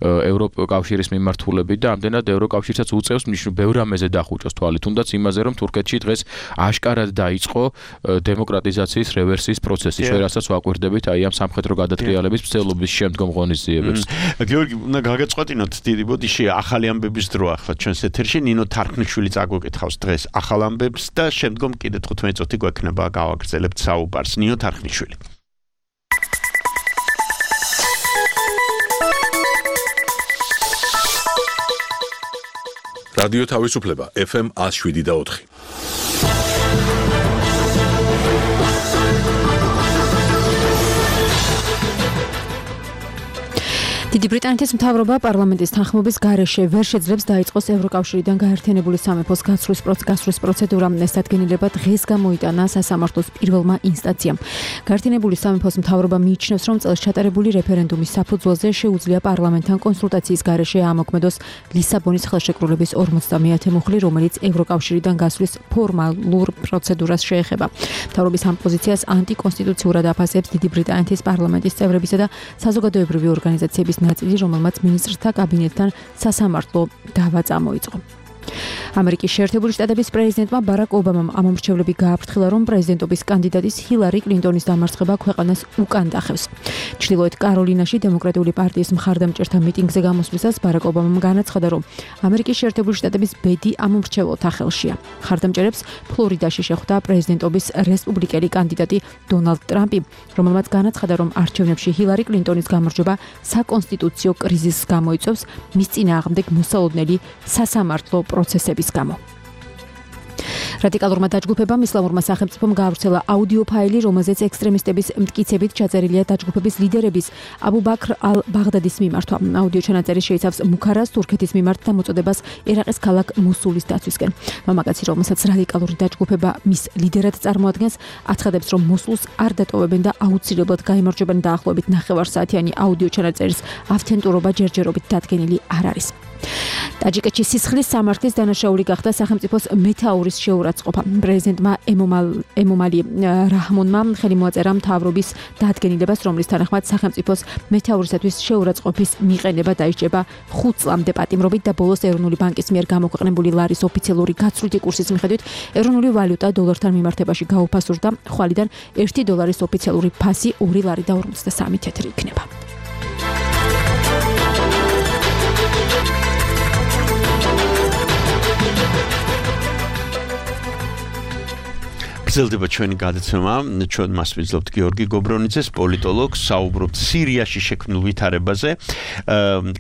S6: ევროკავშირის მიმართულებით და ამდენად ევროკავშირსაც უწევს მნიშვნელოვან ბევრ რამეზე დახუჭოს თვალი, თუნდაც იმაზე რომ თურქეთში დღეს აშკარად დაიწყო დემოკრატიზაციის რევერსიის პროცესი, ჩვენ რასაც ვაკვირდებით აი ამ სამხედრო გადატრიალების მცდელობის შემდგომ ღონისძიებებს.
S3: გიორგი, უნდა გაგეწყვეტინოთ დიდი ბოდიში ახალი ამბების დრო ახლა ჩვენს ეთერში ნინო თარხნიშვილი წაგვეკითხავს დღეს ახალ ამბებს და შემდგომ კიდე თხუთმეტი წუთი გვექნება გავაგრძელებთ საუბარს. ნინო თარხნიშვილი.
S1: რადიო თავისუფლება ეფ ემ one oh seven და four.
S7: დიდი ბრიტანეთის მთავრობა პარლამენტის თანხმობის გარეშე ვერ შეძლებს დაიწყოს ევროკავშირიდან გაერთიანებული სამეფოს გასვლის გასვლის პროცედურა. ეს დადგენილება დღეს გამოიტანა სასამართლოს პირველმა ინსტანციამ. გაერთიანებული სამეფოს მთავრობა მიიჩნევს, რომ წელს ჩატარებული რეფერენდუმის საფუძველზე შეუძლია პარლამენტთან კონსულტაციის გარეშე ამოქმედოს ლისაბონის ხელშეკრულების ორმოცდამეათე მუხლი, რომელიც ევროკავშირიდან გასვლის ფორმალურ პროცედურას შეეხება. მთავრობის ამ პოზიციას ანტიკონსტიტუციურად აფასებს დიდი ბრიტანეთის პარლამენტის წევრებისა და საზოგადოებრივი ორგანიზაციების ნაწილი, რომელმაც მინისტრთა კაბინეტთან სასამართლო დავა წამოიწყო. ამერიკის შეერთებული შტატების პრეზიდენტმა ბარაკ ობამამ ამომრჩევლები გააფრთხილა, რომ პრეზიდენტობის კანდიდატის ჰილარი კლინტონის დამარცხება ქვეყანას უკან დახევს. ჩრდილოეთ კაროლინაში დემოკრატიული პარტიის მხარდამჭერთა მიტინგზე გამოსვლისას ბარაკ ობამამ განაცხადა, რომ ამერიკის შეერთებული შტატების ბედი ამომრჩეველთა ხელშია. მხარდამჭერებს ფლორიდაში შეხვდა პრეზიდენტობის რესპუბლიკელი კანდიდატი დონალდ ტრამპი, რომელმაც განაცხადა, რომ არჩევნებში ჰილარი კლინტონის გამარჯვება საკონსტიტუციო კრიზისს გამოიწვევს მის წინააღმდეგ მოსალოდნელი სასამართლო პროცესების გამო. რადიკალურმა დაჯგუფებამ ისლამურმა სახელმწიფომ გაავრცელა აუდიო ფაილი, რომელზეც ექსტრემისტების მტკიცებით ჩაწერილია დაჯგუფების ლიდერების აბუ ბაქრ ალ-ბაღდადის მიმართვა. აუდიო ჩანაწერი შეიცავს მუქარას თურქეთის მიმართ დამოწოდებას ერაყის ქალაქ მოსულის დაცვისკენ. მამაკაცი, რომელსაც რადიკალური დაჯგუფება მის ლიდერად წარმოადგენს, აცხადებს, რომ მოსულს არ დატოვებენ და აუცილებლად გაიმარჯვებენ. დაახლოებით ნახევარსაათიანი აუდიო ჩანაწერის ავთენტურობა ჯერჯერობით დადგენილი არ არის. ტაჯიკეთში სისხლის სამართლის დანაშაული გახდა სახელმწიფოს მეთაურის შეურაცხყოფა. პრეზიდენტმა ემომალი რაჰმონმა ხელი მოაწერა მთავრობის დადგენილებას, რომლის თანახმად სახელმწიფოს მეთაურისათვის შეურაცხყოფის მიყენება დაიჭრება ხუთ წლამდე პატიმრობით და ბოლოს ეროვნული ბანკის მიერ გამოქვეყნებული ლარის ოფიციალური გაცვლითი კურსის მიხედვით ეროვნული ვალუტა დოლართან მიმართებაში გაუფასურდა. ხვალიდან ერთი დოლარის ოფიციალური ფასი ორი ლარი და ორმოცდასამი თეთრი იქნება.
S3: გრძელდება ჩვენი გადაცემა, ჩვენ მას ვიძლებთ გიორგი გობრონიძეს, პოლიტოლოგს, საუბრობთ სირიაში შექმნილ ვითარებაზე.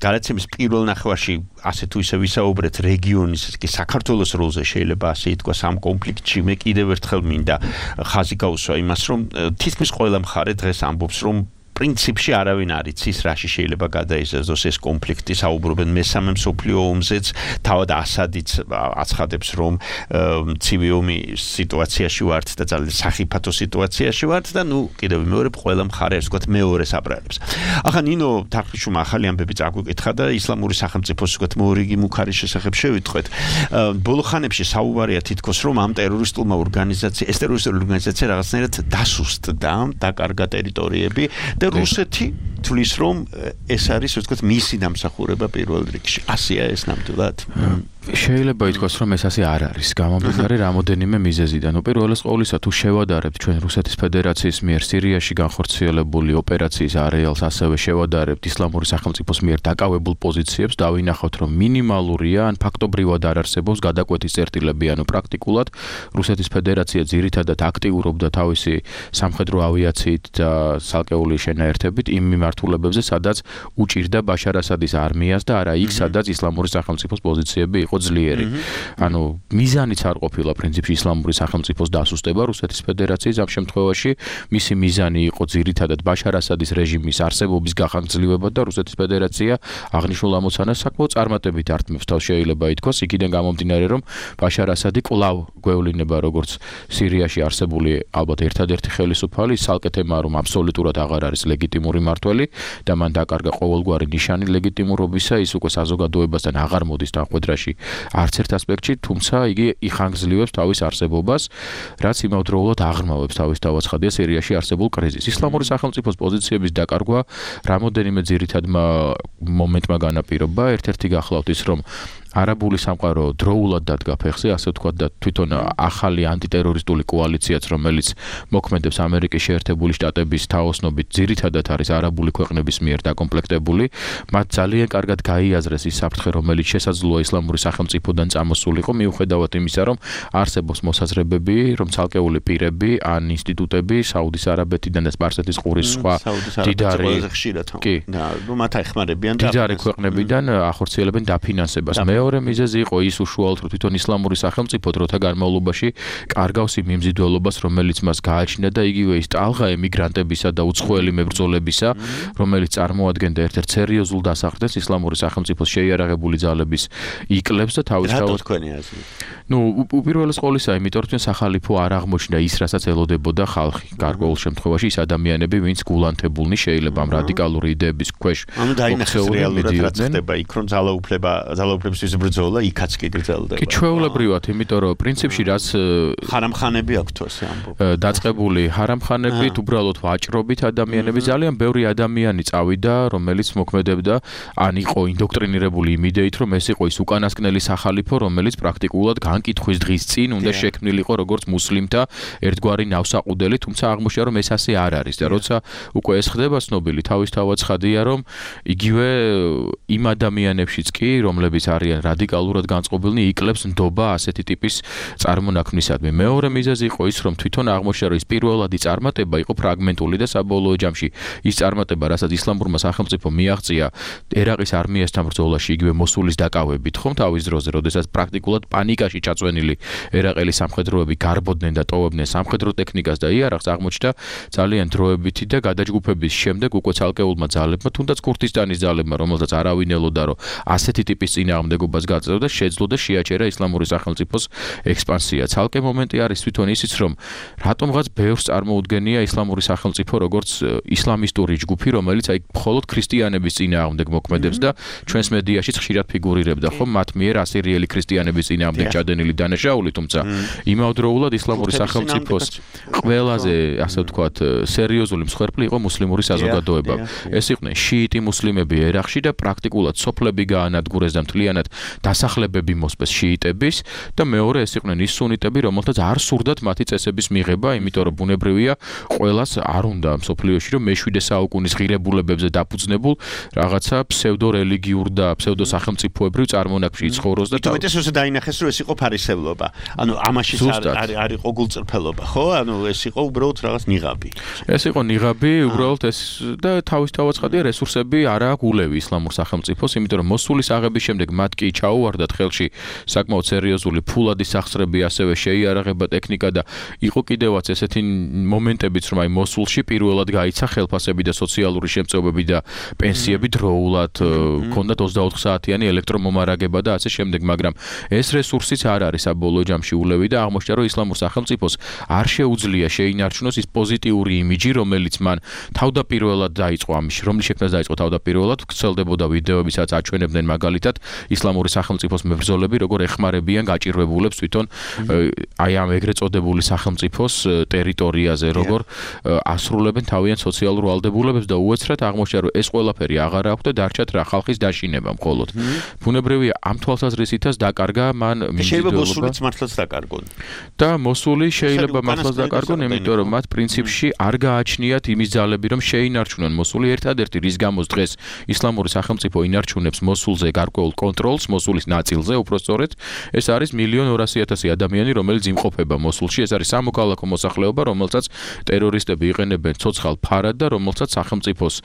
S3: გადაცემის პირველ ნახევარში ასე თუ ისე ვისაუბრეთ რეგიონის, კი საქართველოს როლზე შეიძლება ასე ითქვას ამ კონფლიქტში. მე კიდევ ერთხელ მინდა ხაზი გაუსვა იმას, რომ თითქმის ყველა მხარე დღეს ამბობს, რომ პრინციპში არავინ არ იცის, რაში შეიძლება გადაიზარდოს ეს კონფლიქტი. საუბრობენ მესამე მსოფლიო ომზეც, თავად ასადიც აცხადებს, რომ ცივი ომის სიტუაციაში ვართ და ძალიან სახიფათო სიტუაციაში ვართ და ნუ კიდევ მეორე ყველა მხარე ასე ვთქვათ მეორეს აბრალებს. ახლა ნინო თარხნიშვილმა ახალი ამბები წაგვიკითხა და ისლამური სახელმწიფოს ვთქვათ მორიგი მუქარის შესახებ შევიტყვეთ. ბოლო ხანებში საუბარია თითქოს, რომ ამ ტერორისტულმა ორგანიზაციამ, ეს ტერორისტული ორგანიზაცია რაღაცნაირად დასუსტდა, დაკარგა ტერიტორიები და რუსეთი თulis რომ ეს არის ასე ვთქვათ მისი დამსახურება პირველ რიგში. ასია ეს ნამდვილად.
S6: შეიძლება ითქვას, რომ ეს ასე არ არის. გამომდინარე რამოდენიმე მიზეზიდან. უპირველეს ყოვლისა, თუ შევადარებთ ჩვენ რუსეთის ფედერაციის მიერ სირიაში განხორციელებული ოპერაციის არეალს, ასევე შევადარებთ ისლამური სახელმწიფოს მიერ დაკავებულ პოზიციებს, დავინახავთ, რომ მინიმალურია, ან ფაქტობრივად არ არსებობს გადაკვეთის წერტილები, ანუ პრაქტიკულად რუსეთის ფედერაცია ძირითადად აქტიურობდა თავისი სამხედრო ავიაციით და ცალკეული შენაერთებით იმ მიმართ მიმართულებებზე, სადაც უჭირდა ბაშარ ასადის არმიას და არა იქ, სადაც ისლამური სახელმწიფოს პოზიციები იყო ძლიერი. ანუ მიზანიც არ ყოფილა პრინციპში ისლამური სახელმწიფოს დასუსტება რუსეთის ფედერაციის ამ შემთხვევაში, მისი მიზანი იყო ძირითადად ბაშარ ასადის რეჟიმის არსებობის გახანგრძლივება და რუსეთის ფედერაცია აღნიშნულ ამოცანას საკმაოდ წარმატებით ართმევს თავს შეიძლება ითქვას, იქიდან გამომდინარე რომ ბაშარ ასადი კვლავ გვევლინება როგორც სირიაში არსებული ალბათ ერთადერთი ხელისუფალი, სალკეთებმა რომ აბსოლუტურად აღარ არის ლეგიტიმური მმართველი და მან დაკარგა ყოველგვარი ნიშანი ლეგიტიმურობისა, ის უკვე საზოგადოებასთან აღარ მოდის თანხმედრაში არც ერთ ასპექტში, თუმცა იგი იხანგრძლივებს თავის არსებობას, რაც იმავდროულად აღრმავებს თავის თავაცხადია სირიაში არსებულ კრიზისს. ისლამური სახელმწიფოს პოზიციების დაკარგვა რამოდენიმე ძირითადმა მომენტმა განაპირობა, ერთ-ერთი გახლავთ ის, რომ არაბული სამყარო დროულად დადგა ფეხზე, ასე ვთქვათ და თვითონ ახალი ანტიტერორისტული კოალიციაც, რომელიც მოქმედებს ამერიკის შეერთებული შტატების თაოსნობით, ძირითადად არის არაბული ქვეყნების მიერ დაკომპლექტებული. მათ ძალიან კარგად გაიაზრეს ის საფრთხე, რომელიც შესაძლოა ისლამური სახელმწიფოდან წამოსულიყო, მიუხედავად იმისა, რომ არსებობს მოსაზრებები, რომ ცალკეული პირები ან ინსტიტუტები საუდის არაბეთიდან და სპარსეთის ყურის სხვა დიდარი
S3: მათ აიხმარებიან და
S6: დიდარი ქვეყნებიდან ახორციელებენ დაფინანსებას. მეორე მიზეზი იყო ის უშუალოდ რომ თვითონ ისლამური სახელმწიფო დროთა განმავლობაში კარგავს იმ მიმზიდველობას, რომელიც მას გააჩნია და იგივე ის ტალღა ემიგრანტებისა და უცხოელი მებრძოლებისა, რომელიც წარმოადგენდა ერთ-ერთ სერიოზულ დასახდენს ისლამური სახელმწიფოს შეიარაღებული ძალების იკლებს და თავისთავად
S3: თქვენი აზრი.
S6: ნუ უპირველეს ყოვლისა, იმიტომ რომ სახალიფო არ აღმოჩნდა ის, რასაც ელოდებოდა ხალხი. გარკვეულ შემთხვევაში ის ადამიანები, ვინც გულანთებულნი შეიძლება ამ რადიკალური იდეების ქვეშ
S3: ანუ დაინახეს რეალურად რაც ხდება იქ, რომ ძალაუფლება ძალაუფლებისთვის ბრძოლა იქაც კი გრძელდება.
S6: კი ჩვეულებრივად, იმიტომ რომ პრინციპში რაც
S3: ჰარამხანები აქვთ ასე ამბობ.
S6: დაწყებული ჰარამხანებით, უბრალოდ ვაჭრობით ადამიანები, ძალიან ბევრი ადამიანი წავიდა, რომელიც მოქმედებდა, ან იყო ინდოქტრინირებული იმ იდეით, რომ ეს იყო ის უკანასკნელი სახალიფო, რომელიც პრაქტიკულად განკითხვის დღის წინ უნდა შექმნილიყო როგორც მუსლიმთა ერთგვარი ნავსაყუდელი, თუმცა აღმოჩნდა რომ ეს ასე არ არის და როცა უკვე ეს ხდება ცნობილი, თავისთავად ცხადია რომ იგივე იმ ადამიანებშიც კი, რომლებიც არიან რადიკალურად განწყობილნი, იკლებს ნდობა ასეთი ტიპის წარმონაქმნისადმი. მეორე მიზეზი იყო ის, რომ თვითონ აღმოჩნდა რომ ის პირველადი წარმატება იყო ფრაგმენტული და საბოლოო ჯამში ის წარმატება, რასაც ისლამურმა სახელმწიფომ მიაღწია ერაყის არმიასთან ბრძოლაში, იგივე მოსულის დაკავებით, ხომ თავის დროზე, როდესაც პრაქტიკულად პანიკაში ჩაწვენილი ერაყელი სამხედროები გარბოდნენ და ტოვებდნენ სამხედრო ტექნიკას და იარაღს, აღმოჩნდა ძალიან დროებითი და გადაჯგუფების შემდეგ უკვე ცალკეულმა ძალებმა, თუნდაც ქურთისტანის ძალებმა, რომელსაც არავინ ელოდა, რომ ასეთი ტიპის წინააღმდეგობას გაწევდა, შეძლო და შეაჩერა ისლამური სახელმწიფოს ექსპანსია. ცალკე მომენტი არის თვითონ ისიც, რომ რატომღაც ბევრს წარმოუდგენია ისლამური სახელმწიფო როგორც ისლამისტური ჯგუფი, რომელიც აი მხოლოდ ქრისტიანების წინააღმდეგ მოქმედებს და ჩვენს მედიაშიც ხშირად ფიგურირებდა, ხო, მათ მიერ ასირიელი ქრისტიანების წინააღმდეგ ჩადენილი დანაშაული, თუმცა იმავდროულად ისლამური სახელმწიფოს ყველაზე, ასე ვთქვათ, სერიოზული მსხვერპლი იყო მუსლიმური საზოგადოება. ეს იყვნენ შიიტი მუსლიმები ერაყში და პრაქტიკულად სოფლები გაანადგურეს და მთლიანად დასახლებები მოსპეს შიიტების და მეორე ეს იყვნენ ის სუნიტები, რომელთაც არ სურდათ მათი წესების მიღება, იმიტომ რომ ბუნებრივია ყველას არ უნდა მსოფლიოში რომ მეშვიდე საუკუნის ღირებულებებზე დაფუძნებულ რაღაცა ფსევდორელიგიურ და ფსევდოსახელმწიფოებრივ წარმონაქმნში იცხოვროს და
S3: თუმცა ეს დაინახეს რომ ეს იყო ფარისევლობა. ანუ ამაშიც არ არ იყო გულწრფელობა, ხო? ანუ ეს იყო უბრალოდ რაღაც ნიღაბი.
S6: ეს იყო ნიღაბი, უბრალოდ ეს და თავისთავად ცხადია რესურსები არ აქვს ულევი ისლამურ სახელმწიფოს, იმიტომ რომ მოსულის აღების შემდეგ მათ კი ჩაუვარდათ ხელში საკმაოდ სერიოზული ფულადი სახსრები, ასევე შეიარაღება ტექნიკა და იყო კიდევაც ესეთი მომენტებიც, რომ აი მოსულში პირველად გაიცა ხელფასები და სოციალური შემწეობები და პენსიები დროულად, ჰქონდათ ოცდაოთხ საათიანი ელექტრომომარაგება და ასე შემდეგ, მაგრამ ეს რესურსიც არ არის საბოლოო ჯამში ულევი და აღმოჩნდა, რომ ისლამურ სახელმწიფოს არ შეუძლია შეინარჩუნოს ის პოზიტიური იმიჯი, რომელიც მან თავდაპირველად დაიწყო ამის, რომლის შექმნას დაიწყო თავდაპირველად, ვრცელდებოდა ვიდეოები, სადაც აჩვენებდნენ მაგალითად ისლამური სახელმწიფოს მებრძოლები, როგორ ეხმარებიან გაჭირვებულებს თვითონ აი ამ ეგრეთ წოდებული სახელმწიფოს ტერიტორიაზე, როგორ ასრულებენ თავიანთ სოციალურ ვალდებულებებს და უეცრად აღმოჩნდა, რომ ეს ყველაფერი აღარ აქვს და დარჩათ რა ხალხის დაშინება მხოლოდ. ბუნებრივია ამ თვალსაზრისითაც დაკარგა მან
S3: შეიძლება მოსულიც მართლაც დაკარგონ.
S6: და მოსული შეიძლება მართლაც დაკარგონ, იმიტომ რომ მათ პრინციპში არ გააჩნიათ იმის ძალები, რომ შეინარჩუნონ მოსული. ერთადერთი რის გამოც დღეს ისლამური სახელმწიფო ინარჩუნებს მოსულზე გარკვეულ კონტროლს, მოსულის ნაწილზე, უпростоრეთ, ეს არის მილიონი ორასი ათასი ადამიანი, რომელიც იმყოფება მოსულში. ეს არის სამოქალაქო მოსახლეობა, რომელსაც ტერორისტები იყენებენ ცოცხალ ფარად და რომელსაც სახელმწიფოს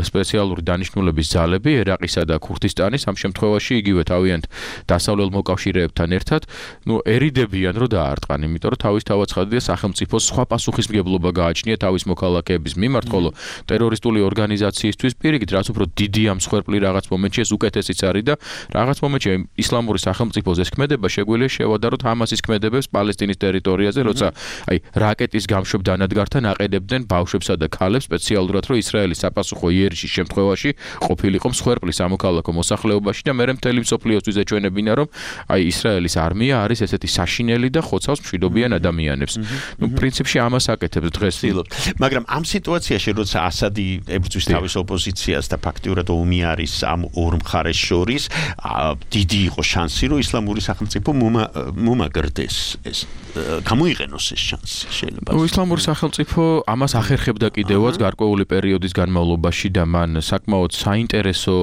S6: სპეციალური დანიშნულების ძალები, ერაყისა და ქურთისტანის ამ შემთხვევაში იგივე თავიანთ დასავლელ მოკავშირეებთან ერთად, ნუ ერიდებიან რომ დაარტყან, იმიტომ რომ თავის თავაცხადია სახელმწიფოს სხვა პასუხისმგებლობა გააჩნია თავის მოქალაქეების მიმართ, ხოლო ტერორისტული ორგანიზაციისთვის პირიქით, რაც უფრო დიდი ამ მსხვერპლი რაღაც მომენტში ეს უკეთესიც არის და რაღაც მომენტში ისლამური სახელმწიფოს ეს ქმედება შეგვიძლია შევადაროთ ჰამასის ქმედებებს პალესტინის ტერიტორიაზე, როცა აი რაკეტის გამშვებ დანადგართან აყენებდნენ ბავშვებსა და ქალებს სპეციალურად, რომ ისრაელის საპასუხო იერიშის შემთხვევაში ყოფილიყო მსხვერპლი სამოქალაქო მოსახლეობაში და მერე მთელი მსოფლიოსთვის ეჩვენებინა, რომ აი ისრაელის არმია არის ესეთი საშინელი და ხოცავს მშვიდობიან ადამიანებს. ნუ პრინციპში ამას აკეთებს დღეს.
S3: მაგრამ ამ სიტუაციაში, როცა ასადი ებრძვის თავის ოპოზიციას და ფაქტიურად ომი არის ამ ორ მხარეს შორის, დიდი იყო შანსი, რომ ისლამური სახელმწიფო მომაგრდეს ეს გამოიყენოს ეს შანსი შეიძლება.
S6: ნუ ისლამური სახელმწიფო ამას ახერხებდა კიდევაც გარკვეული პერიოდის განმავლობაში და მან საკმაოდ საინტერესო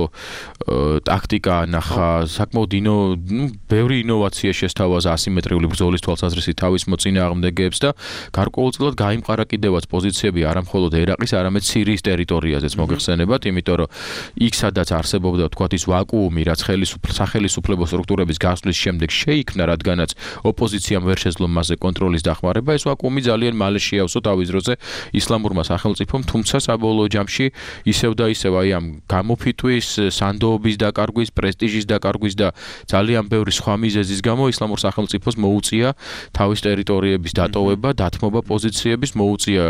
S6: ტაქტიკა ანახა, საკმაოდ ინო, ნუ ბევრი ინოვაცია შესთავაზა ასიმეტრიული ბრძოლის თვალსაზრისით თავის მოწინააღმდეგეებს და გარკვეულწილად გაიმყარა კიდევაც პოზიციები არა მხოლოდ ერაყის, არამედ სირიის ტერიტორიაზეც მოგეხსენებათ, იმიტომ რომ იქ სადაც არსებობდა თქვათ ის ვაკუუმი, რაც სახელმწიფო სტრუქტურების გასვლის შემდეგ შეიქმნა, რადგანაც ოპოზიციამ ვერ შეძლო მასზე კონტროლის დახმარება, ეს ვაკუუმი ძალიან მალე შეავსო თავის დროზე ისლამურმა სახელმწიფომ, თუმცა საბოლოო ჯამში ისევ და ისევ აი ამ გამოფიტვის, სანდოობის დაკარგვის, პრესტიჟის დაკარგვის და ძალიან ბევრი სხვა მიზეზის გამო ისლამურ სახელმწიფოს მოუწია თავის ტერიტორიების დატოვება, დათმობა პოზიციების, მოუწია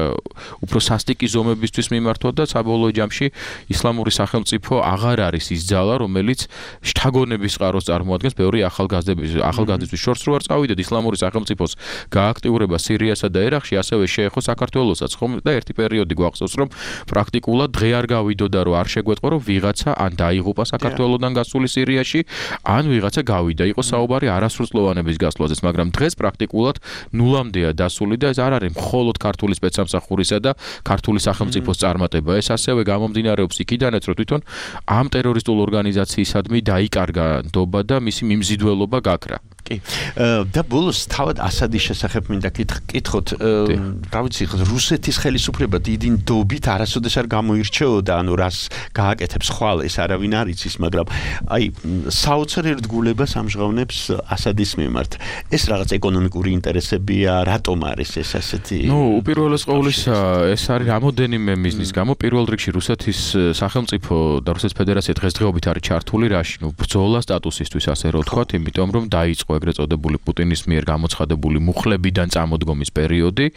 S6: უფრო სასტიკი ზომებისთვის მიმართვა და საბოლოო ჯამში ისლამური სახელმწიფო აღარ არის ის ძალა, რომელიც შთაგონების წყაროს წარმოადგენს ბევრი ახალგაზრდების ახალგაზრდების შორს რო არ წავიდეთ ისლამური სახელმწიფოს გააქტიურება სირიასა და ერაყში, ასევე შეეხო საქართველოსაც, ხომ და ერთი პერიოდი გვახსოვს, რომ პრაქტიკულად დღე არ გავიდოდა, რომ არ შეგვეტყო, რომ ვიღაცა ან დაიღუპა საქართველოდან გასული სირიაში, ან ვიღაცა გავიდა. იყო საუბარი არასრულწლოვანების გასვლაზეც, მაგრამ დღეს პრაქტიკულად ნულამდეა დასული და ეს არ არის მხოლოდ ქართული სპეცსამსახურისა და ქართული სახელმწიფოს წარმატება. ეს ასევე გამომდინარეობს იქიდანაც, რომ თვითონ ამ ტერორისტულ ორგანიზაციისადმი დაიკარგა ნდობა და მისი მიმზიდველობა გაქრა.
S3: კი. და ბოლოს თავად ასადის შესახებ მინდა კითხოთ, რა ვიცი, რუსეთის ხელისუფლება დიდი ნდობით არასოდეს არ გამოირჩეოდა, ანუ რას გააკეთებს ხვალ ეს არავინ არ იცის, მაგრამ აი საოცარ ერთგულებას ამჟღავნებს ასადის მიმართ. ეს რაღაც ეკონომიკური ინტერესებია, რატომ არის ეს ასეთი?
S6: ნუ უპირველეს ყოვლისა, ეს არის რამოდენიმე მიზნის გამო. პირველ რიგში რუსეთის სახელმწიფო და რუსეთის ფედერაცია დღესდღეობით არის ჩართული რაში? ნუ ბრძოლა სტატუსისთვის, ასე რომ ვთქვათ, იმიტომ რომ დაიწყო ეგრეთ წოდებული პუტინის მიერ გამოცხადებული მუხლებიდან წამოდგომის პერიოდი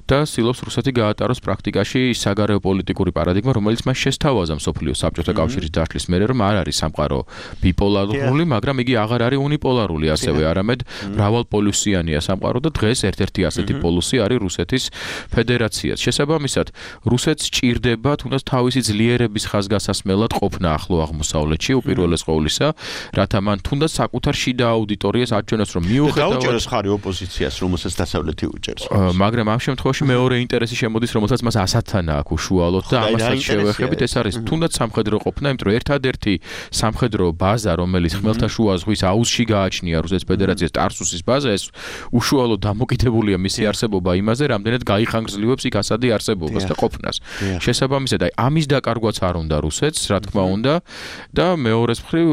S6: და ცდილობს რუსეთი გაატაროს პრაქტიკაში საგარეო პოლიტიკური პარადიგმა, რომელიც მას შესთავაზა მსოფლიო საბჭოთა კავშირის დაშლის მერე, რომ არ არის სამყარო ბიპოლარული, მაგრამ იგი აღარ არის უნიპოლარული ასევე, არამედ მრავალპოლუსიანია სამყარო და დღეს ერთ-ერთი ასეთი პოლუსი არის რუსეთის ფედერაციაც. შესაბამისად, რუსეთს ჭირდება თუნდაც თავისი ძლიერების ხაზგასასმელად ყოფნა ახლო აღმოსავლეთში უპირველეს ყოვლისა, რათა მან თუნდაც საკუთარ შიდა აუდიტორიას აჩვენოს, რომ მიუხედავად
S3: დაუჭეროს ხარი ოპოზიციას, რომელსაც დასავლეთი უჭერს.
S6: მაგრამ ამ შემთხვევაში მეორე ინტერესი შემოდის, რომელსაც მას ასადთან აქვს უშუალოდ და ამასაც შევეხებით, ეს არის თუნდაც სამხედრო ყოფნა, იმიტომ რომ ერთადერთი სამხედრო ბაზა, რომელიც ხმელთაშუა ზღვის აუზში გააჩნია რუსეთის ფედერაციას, ტარსუსის ბაზა, ეს უშუალოდ დამოკიდებულია მისი არსებობა იმაზე, რამდენად გაიხანგრძლივებს იქ ასადი არსებობას და ყოფნას. შესაბამისად, აი ამის დაკარგვაც არ უნდა რუსეთს, რა თქმა უნდა, და მეორეს მხრივ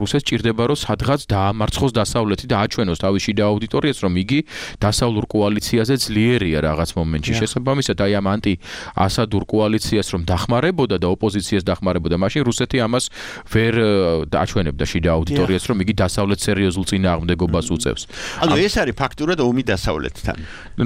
S6: რუსეთს ჭირდება, რომ სადღაც დაამარცხოს დასავლეთი და აჩვენოს თავის შიდა აუდიტორიას, რომ იგი დასავლურ კოალიციაზე ძლიერია რაღაც მომენტში. შესაბამისად, აი ამ ანტი-ასადურ კოალიციას რომ დახმარებოდა და ოპოზიციას დახმარებოდა, მაშინ რუსეთი ამას ვერ აჩვენებდა შიდა აუდიტორიას, რომ იგი დასავლეთ სერიოზულ წინააღმდეგობას უწევს.
S3: ანუ ეს არის ფაქტურად ომი დასავლეთთან.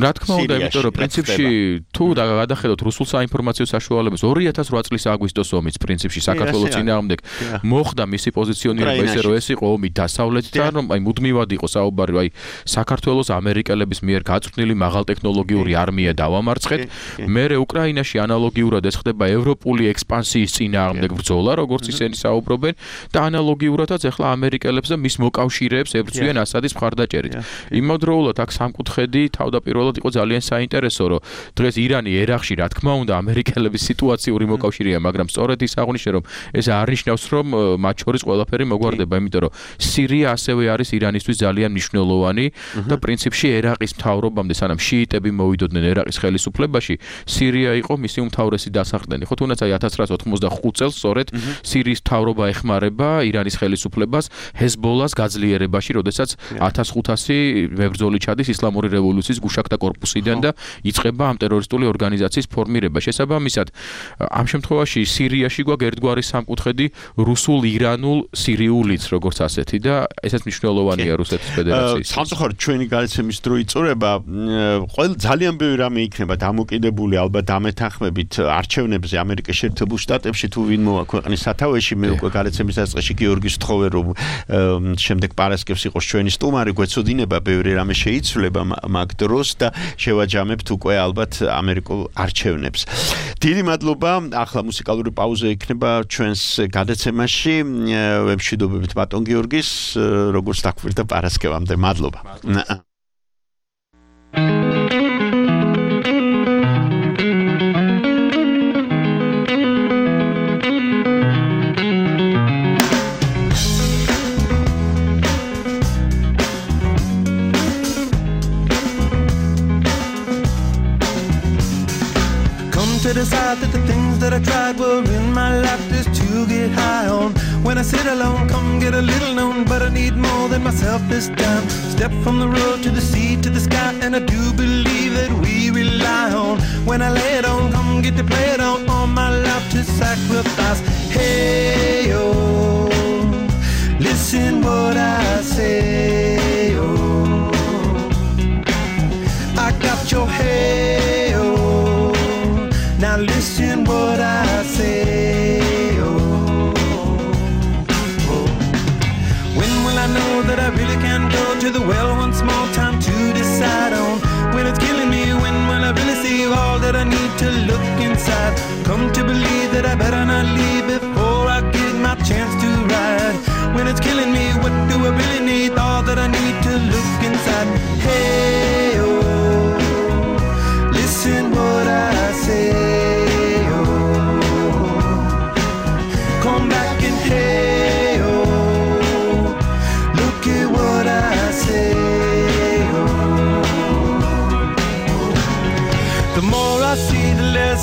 S6: რა თქმა უნდა, იმიტომ რომ პრინციპში თუ გადახედოთ რუსულ საინფორმაციო საშუალებებს ორი ათას რვა წლის აგვისტოს ომის პრინციპში საქართველოს წინააღმდეგ მოხდა მისი პოზიციონირება ისე, რომ ეს იყო ომი დასავლეთთან, რომ აი მუდმივად იყო საუბარი, აი საქართველოს ამერიკელების მიერ გაწვრთნილი მაღალტექნოლოგიური არმია დავამარცხეთ. მერე უკრაინაში ანალოგიურად ეს ხდება ევროპული ექსპანსიის წინააღმდეგ ბრძოლა, როგორც ისინი საუბრობენ და ანალოგიურადაც ახლა ამერიკელებს და მის მოკავშირეებს ებრძვიან ასადის მხარდაჭერით. იმავდროულად აქ სამკუთხედი თავდაპირველად იყო ძალიან საინტერესო, რომ დღეს ირანი ერაყში რა თქმა უნდა ამერიკელების სიტუაციური მოკავშირეა, მაგრამ სწორედ ის აღნიშნე, რომ ეს არ ნიშნავს, რომ მათ შორის ყველაფერი მოგვარ გამხარდება, იმიტომ რომ სირია ასევე არის ირანისთვის ძალიან მნიშვნელოვანი და პრინციპში ერაყის მთავრობამდე სანამ შიიტები მოვიდოდნენ ერაყის ხელისუფლებაში, სირია იყო მისი უმთავრესი დასახდენი. ხო თუნდაც აი ათას ცხრაასი ოთხმოცდახუთ წელს სწორედ სირიის მთავრობა ეხმარება ირანის ხელისუფლებას ჰეზბოლას გაძლიერებაში, როდესაც ათას ხუთასი მებრძოლი ჩადის ისლამური რევოლუციის გუშაკთა კორპუსიდან და იწყება ამ ტერორისტული ორგანიზაციის ფორმირება. შესაბამისად, ამ შემთხვევაში სირიაში გვაქვს ერთგვარი სამკუთხედი რუსულ-ირანულ სირიულიც, როგორც ასეთი და ესეც მნიშვნელოვანია რუსეთის ფედერაციის.
S3: სამწუხაროდ ჩვენი გადაცემის დრო იწურება, ყოველ ძალიან ბევრი რამე იქნება დამოკიდებული ალბათ დამეთანხმებით არჩევნებზე ამერიკის შეერთებულ შტატებში თუ ვინ მოაქვეყნის სათავეში. მე უკვე გადაცემის დასაწყისში გიორგი სთხოვე რომ შემდეგ პარასკევს იყოს ჩვენი სტუმარი, გვეცოდინება ბევრი რამე შეიცვლება მაგ დროს და შევაჯამებთ უკვე ალბათ ამერიკულ არჩევნებს. დიდი მადლობა. ახლა მუსიკალური პაუზა იქნება ჩვენს გადაცემაში. ვემშვიდობებით ბატონ გიორგის, როგორც დაგვირდა პარასკევამდე. მადლობა.
S5: To decide that the things that I tried were in my life just to get high on. When I sit alone, come get a little known, but I need more than myself this time. Step from the road to the sea to the sky, and I do believe that we rely on. When I lay it on, come get to play it on, all my life to sacrifice. Hey, oh, listen what I say, oh, I got your hey, oh. Now listen what I say, oh, oh. When will I know that I really can go to the well once more? Time to decide on. When it's killing me, when will I really see all that I need to look inside? Come to believe that I better not leave before I get my chance to ride. When it's killing me, what do I really need? All that I need to look inside. Hey, oh, listen what I say.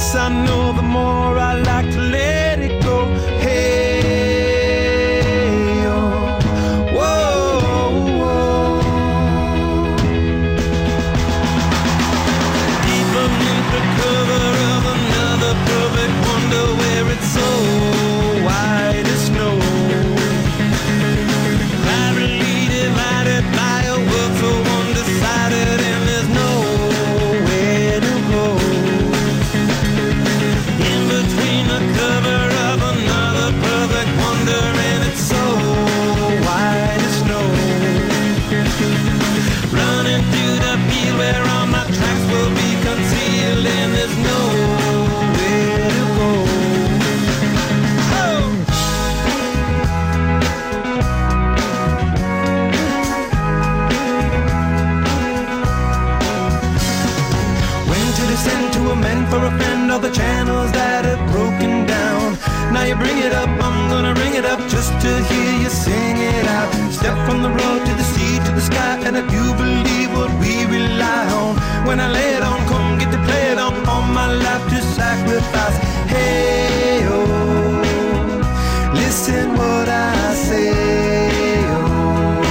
S5: I know the more I like to let it go. Hey, oh, whoa, whoa. Deep beneath the cover of another perfect wonder where it's so white as snow. Privately divided by a world so undecided, and there's nowhere to go. Cover of another perfect wonder, and it's so white as snow. Running through the field where all my tracks will be concealed, and there's nowhere to go. Oh! When to descend to a man for a friend, all the channels that have broken down. Now you bring it up, I'm gonna ring it up just to hear you sing it out. Step from the road to the sea to the sky, and I do believe what we rely on. When I lay it on, come get to play it on, all my life to sacrifice. Hey, oh, listen what I say, oh,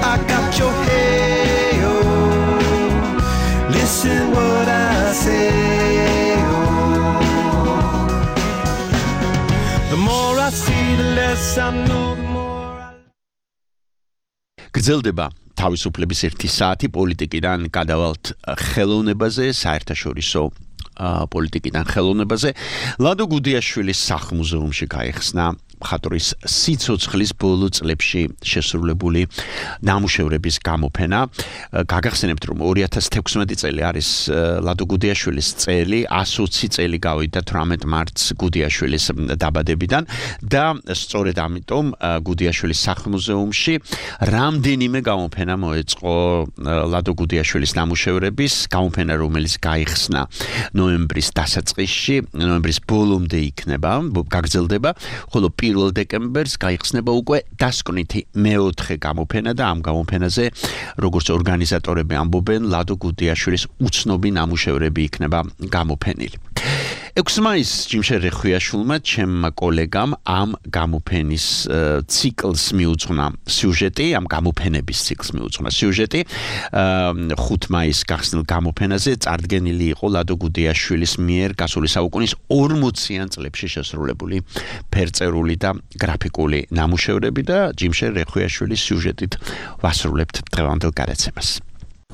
S5: I got your hey, oh, listen what I say.
S3: გრძელდება თავისუფლების ერთი საათი პოლიტიკიდან გადავალთ ხელოვნებაზე, საერთაშორისო პოლიტიკიდან ხელოვნებაზე. ლადო გუდიაშვილის სახლ-მუზეუმში გაიხსნა მხატვრის სიცოცხლის ბოლო წლებში შესრულებული ნამუშევრების გამოფენა. გაგახსენებთ, რომ ორი ათას თექვსმეტი წელი არის ლადო გუდიაშვილის წელი, εκ ოცი წელი გავიდა თვრამეტ მარტს გუდიაშვილის დაბადებიდან და სწორედ ამიტომ გუდიაშვილის სახლ-მუზეუმში რამდენიმე გამოფენა მოეწყო ლადო გუდიაშვილის ნამუშევრების. გამოფენა, რომელიც გაიხსნა ნოემბრის დასაწყისში, ნოემბრის ბოლომდე იქნება, გაგრძელდება, ხოლო პირველ დეკემბერს გაიხსნება უკვე დასკვნითი მეოთხე გამოფენა და ამ გამოფენაზე როგორც ორგანიზატორები ამბობენ ლადო გუდიაშვილის უცნობი ნამუშევრები იქნება გამოფენილი. ექვსი მაისს ჯიმშე რეხვიაშვილმა ჩემმა კოლეგამ ამ გამოფენის ციკლს მიუძღვნა სიუჟეტი, ამ გამოფენების ციკლს მიუძღვნა სიუჟეტი. ხუთი მაისს გახსნილ გამოფენაზე წარდგენილი იყო ლადო გუდიაშვილის მიერ გასული საუკუნის ორმოციან წლებში შესრულებული ფერწერული და გრაფიკული ნამუშევრები და ჯიმშე რეხვიაშვილის სიუჟეტით ვასრულებთ დღევანდელ გადაცემას.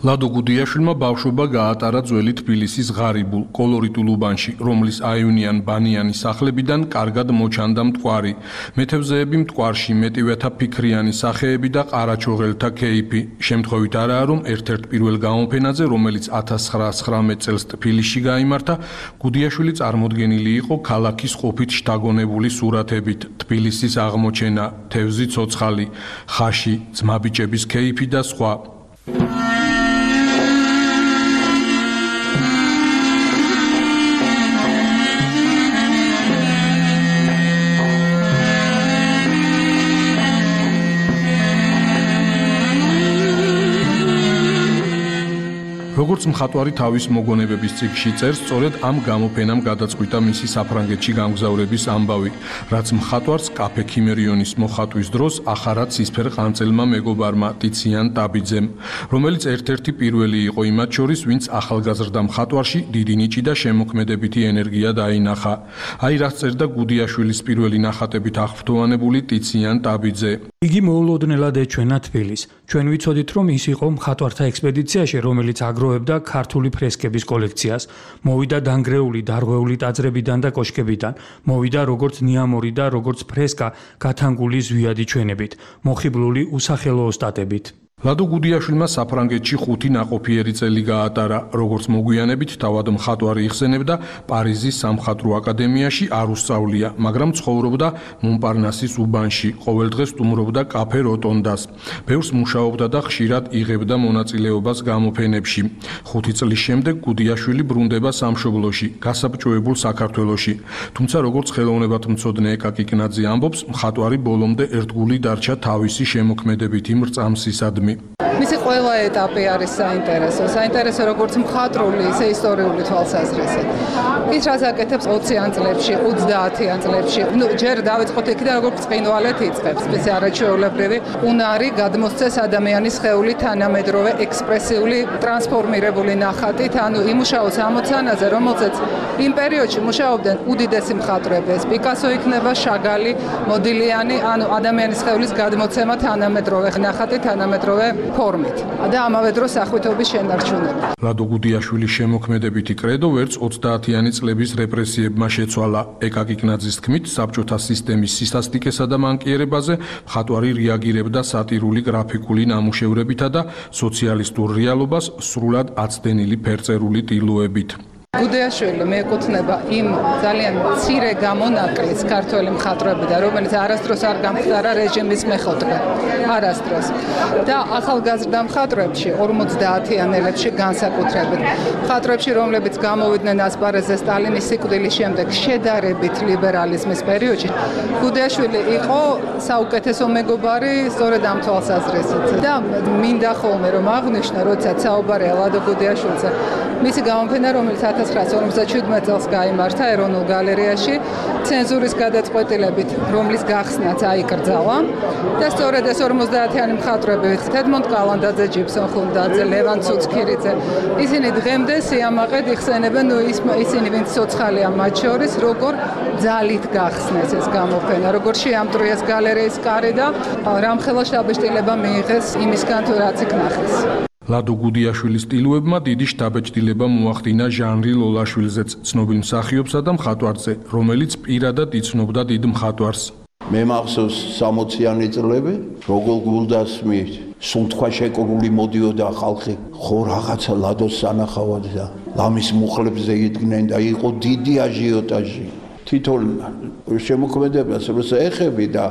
S8: ლადო გუდიაშვილმა ბავშვობა გაატარა ძველი თბილისის ღარიბულ კოლორიტულ უბანში, რომლის აივნიან ბანიანი სახლებიდან კარგად მოჩანდა მტკვარი. მეთევზეები მტკვარში მეტივეთა ფიქრიანი სახეები და ყარაჩოღელთა ქეიფი. შემთხვევით არაა, რომ ერთ-ერთ პირველ გამოფენაზე, რომელიც ათას ცხრაასი წელს თბილისში გაიმართა, გუდიაშვილი წარმოდგენილი იყო ქალაქის ყოფით შთაგონებული სურათებით. თბილისის აღმოჩენა, თევზი ცოცხალი, ხაში, ძმაბიჭების ქეიფი და სხვა. როგორც მხატვარი თავის მოგონებების ციკლში წერს, სწორედ ამ გამოფენამ გადაწყვიტა მისი საფრანგეთში გამგზავრების ამბავი, რაც მხატვარს კაფე ქიმერიონის მოხატვის დროს ახარა ცისფერ ყანწელმა მეგობარმა ტიციან ტაბიძემ, რომელიც ერთ-ერთი პირველი იყო იმათ შორის, ვინც ახალგაზრდა მხატვარში დიდი ნიჭი და შემოქმედებითი ენერგია დაინახა. აი რაც წერდა გუდიაშვილის პირველი ნახატებით აღფრთოვანებული ტიციან ტაბიძე.
S9: იგი მოულოდნელად ეჩვენა თბილისს. ჩვენ ვიცოდით, რომ ის იყო მხატვართა ექსპედიციაში, რომელიც აგროვებდა ქართული ფრესკების კოლექციას. მოვიდა დანგრეული დარღვეული ტაძრებიდან და კოშკებიდან. მოვიდა როგორც ნიამორი და როგორც ფრესკა გათანგული ზვიადი ჩვენებით, მოხიბლული უსახელო ოსტატებით. ლადო გუდიაშვილმა საფრანგეთში ხუთი ნაყოფიერი წელი გაატარა, როგორც მოგვიანებით თავად მხატვარი იხსენებდა, პარიზის სამხატვრო აკადემიაში არ უსწავლია, მაგრამ ცხოვრობდა მონპარნასის უბანში, ყოველდღე სტუმრობდა კაფე როტონდას. ბევრს მუშაობდა და ხშირად იღებდა მონაწილეობას გამოფენებში. ხუთი წლის შემდეგ გუდიაშვილი ბრუნდება სამშობლოში, გასაბჭოებულ საქართველოში. თუმცა როგორც ხელოვნებათმცოდნე ეკა კიკნაძე ამბობს, მხატვარი ბოლომდე ერთგული დარჩა თავისი შემოქმედებითი მრწამსისადმი.
S10: მისი ყველა ეტაპი არის საინტერესო. საინტერესო როგორც მხატვრული, ისე ისტორიული თვალსაზრისით. ის რაც აკეთებს ოციან წლებში, ოცდაათიან წლებში, ნუ ჯერ დავიწყოთ იქიდან, როგორც ბრწყინვალეთ იწყებს, ეს არაჩვეულებრივი უნარი გადმოსცეს ადამიანის სხეული თანამედროვე ექსპრესიული ტრანსფორმირებული ნახატით, ანუ იმუშაოს ამოცანაზე, რომელზეც იმ პერიოდში მუშაობდნენ უდიდესი მხატვრები, ეს პიკასო იქნება, შაგალი, მოდილიანი, ანუ ადამიანის სხეულის გადმოცემა თანამედროვე ნახატით, თანამედროვე ფორმით და ამავე დროს ახვითობის შენარჩუნება.
S8: ლადო გუდიაშვილის შემოქმედებითი კრედო ვერც ოცდაათიანი წლების რეპრესიებმა შეცვალა. ეკა კიკნაძის თქმით, საბჭოთა სისტემის სისასტიკესა და მანკიერებაზე მხატვარი რეაგირებდა სატირული გრაფიკული ნამუშევრებითა და სოციალისტურ რეალობას სრულად აცდენილი ფერწერული ტილოებით.
S10: გუდიაშვილი მიეკუთვნება იმ ძალიან მცირე გამონაკლისს ქართველი მხატვრებიდან, რომელიც არასდროს არ გამხდარა რეჟიმის მეხოთბე. არასდროს. და ახალგაზრდა მხატვრებში ორმოცდაათიანელებში განსაკუთრებით. მხატვრებში, რომლებიც გამოვიდნენ ასპარეზზე სტალინის სიკვდილის შემდეგ შედარებით ლიბერალიზმის პერიოდში, გუდიაშვილი იყო საუკეთესო მეგობარი სწორედ ამ თვალსაზრისით. და მინდა ხოლმე რომ აღვნიშნო, როდესაც საუბარია ლადო გუდიაშვილზე, მისი გამოფენა, რომელიც ათას ცხრაასი ორმოცდაჩვიდმეტ წელს გაიმართა ეროვნულ გალერეაში, ცენზურის გადაწყვეტილებით, რომლის გახსნაც აიკრძალა. და სწორედ ეს ორმოცდაათიანი მხატვრები, ედმონდ კალანდაძე, ჯიბსონ ხუნდაძე, ლევან ცუცქირიძე, ისინი დღემდე სიამაყედ იხსენებენ, ნუ ისინი ვინც ცოცხალია მათ შორის, როგორ ძალით გახსნეს ეს გამოფენა, როგორ შეამტრიეს გალერეის კარი და რამხელა შთაბეჭდილება მიიღეს იმისგან თუ რაც იქ ნახეს.
S8: ლადო გუდიაშვილის ტილოებმა დიდი შთაბეჭდილება მოახდინა ჟანრი ლოლაშვილზეც, ცნობილ მსახიობსა და მხატვარზე, რომელიც პირადად იცნობდა დიდ მხატვარს.
S11: მე მახსოვს სამოციანი წლები, როგორ გულდასმით, სუნთქვა შეკრული მოდიოდა ხალხი, ხო რაღაცა ლადოს სანახავად და ლამის მუხლებზე იდგნენ და იყო დიდი აჟიოტაჟი. თვითონ შემოქმედებას როცა ეხები და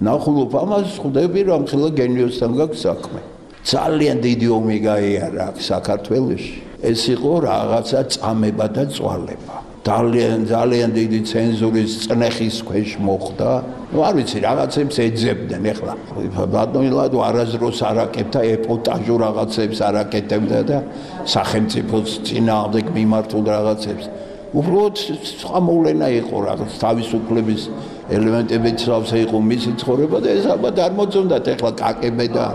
S11: ნახულობ ამას, ხვდები რომ ხელა გენიოსთან გაქვს საქმე. ძალიან დიდი ომი გაიარა საქართველოში. ეს იყო რაღაცა წამება და წვალება. ძალიან ძალიან დიდი ცენზურის წნეხის ქვეშ მოხდა. ნუ არ ვიცი, რაღაცებს ეძებდნენ ეხლა. ბატონილად არაზროს არაკეთდა ეპოტაჟურ რაღაცებს არაკეთებდა და სახელმწიფოს წინააღმდეგ მიმართულ რაღაცებს. უბრალოდ სხვა მოვლენა იყო რაღაც თავისუფლების ელემენტებიც სავსე იყო მისი ცხოვრება და ეს ალბათ არ მოწონდათ ეხლა კაკებე და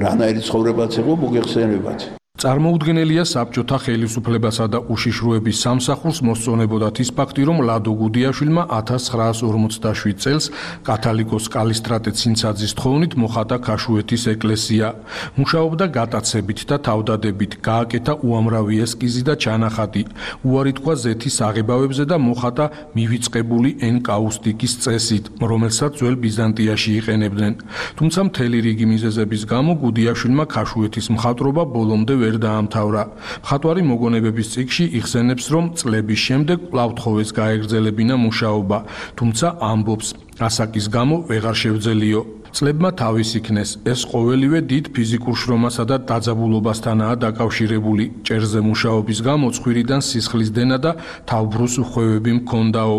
S11: რანაირი ცხოვრებაც იყო მოგეხსენებათ.
S8: წარმოუდგენელია საბჭოთა ხელისუფლებასა და უშიშროების სამსახურს მოსწონებოდათ ის ფაქტი, რომ ლადო გუდიაშვილმა ათას ცხრაას ორმოცდაშვიდ წელს კათალიკოს კალისტრატე ცინცაძის თხოვნით მოხატა ქაშუეთის ეკლესია. მუშაობდა გატაცებით და თავდადებით, გააკეთა უამრავი ესკიზი და ჩანახატი. უარი თქვა ზეთის აღებავებზე და მოხატა მივიწყებული ენკაუსტიკის წესით, რომელსაც ძველ ბიზანტიაში იყენებდნენ. თუმცა მთელი რიგი მიზეზების გამო გუდიაშვილმა ქაშუეთის მხატვრობა ბოლომდე ვერ დაამთავრა. მხატვარი მოგონებების წიგნში იხსენებს, რომ წლების შემდეგ კვლავ თხოვეს გაეგრძელებინა მუშაობა, თუმცა ამბობს, ასაკის გამო ვეღარ შევძელიო. წლებმა თავის იქნეს, ეს ყოველივე დიდ ფიზიკურ შრომასა და დაძაბულობასთანაა დაკავშირებული. ჭერზე მუშაობის გამო ცხვირიდან სისხლის დენა და თავბრუს უხვევები მქონდაო.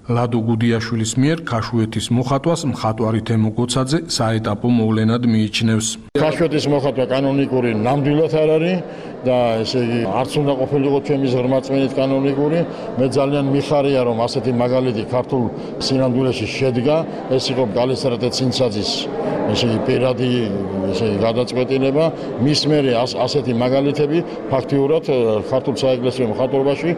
S8: ლადო გუდიაშვილის მიერ ქაშუეთის მოხატვას მხატვარი თემო გოცაძე საეტაპო მოვლენად მიიჩნევს.
S12: ქაშუეთის მოხატვა კანონიკური ნამდვილად არ არის და ესე იგი არც უნდა ყოფილიყო ჩემის ღრმაწმენით კანონიკური. მე ძალიან მიხარია, რომ ასეთი მაგალითი ქართულ სინამდვილეში შედგა. ეს იყო კალისტრატე ცინცაძის ესე იგი პირადი ესე იგი გადაწყვეტილება. მის მერე ასეთი მაგალითები ფაქტიურად ქართულ საეკლესიო მხატვრობაში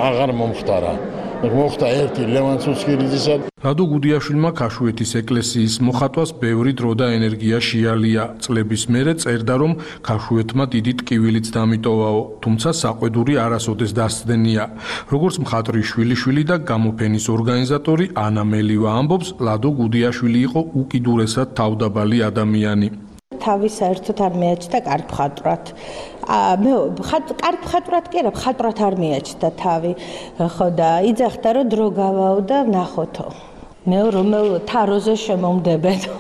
S12: აღარ მომხდარა. მოხდა ერთი ლევან ცუცქირიძისა.
S8: ლადო გუდიაშვილმა ქაშუეთის ეკლესიის მოხატვას ბევრი დრო და ენერგია შეალია. წლების მერე წერდა, რომ ქაშუეთმა დიდი ტკივილიც დამიტოვაო, თუმცა საყვედური არასოდეს დასცდენია. როგორც მხატვრის შვილიშვილი და გამოფენის ორგანიზატორი ანა მელივა ამბობს, ლადო გუდიაშვილი იყო უკიდურესად თავდაბალი ადამიანი.
S13: თავის საერთოდ არ მეაჩნდა კარგ მხატვრად. მე კარგ მხატვრად კი არა, მხატვრად არ მეაჩნდა თავი. ხო და იძახდა, რომ დრო გავაო და ნახოთო. მე რომელ თაროზე შემომდებედო.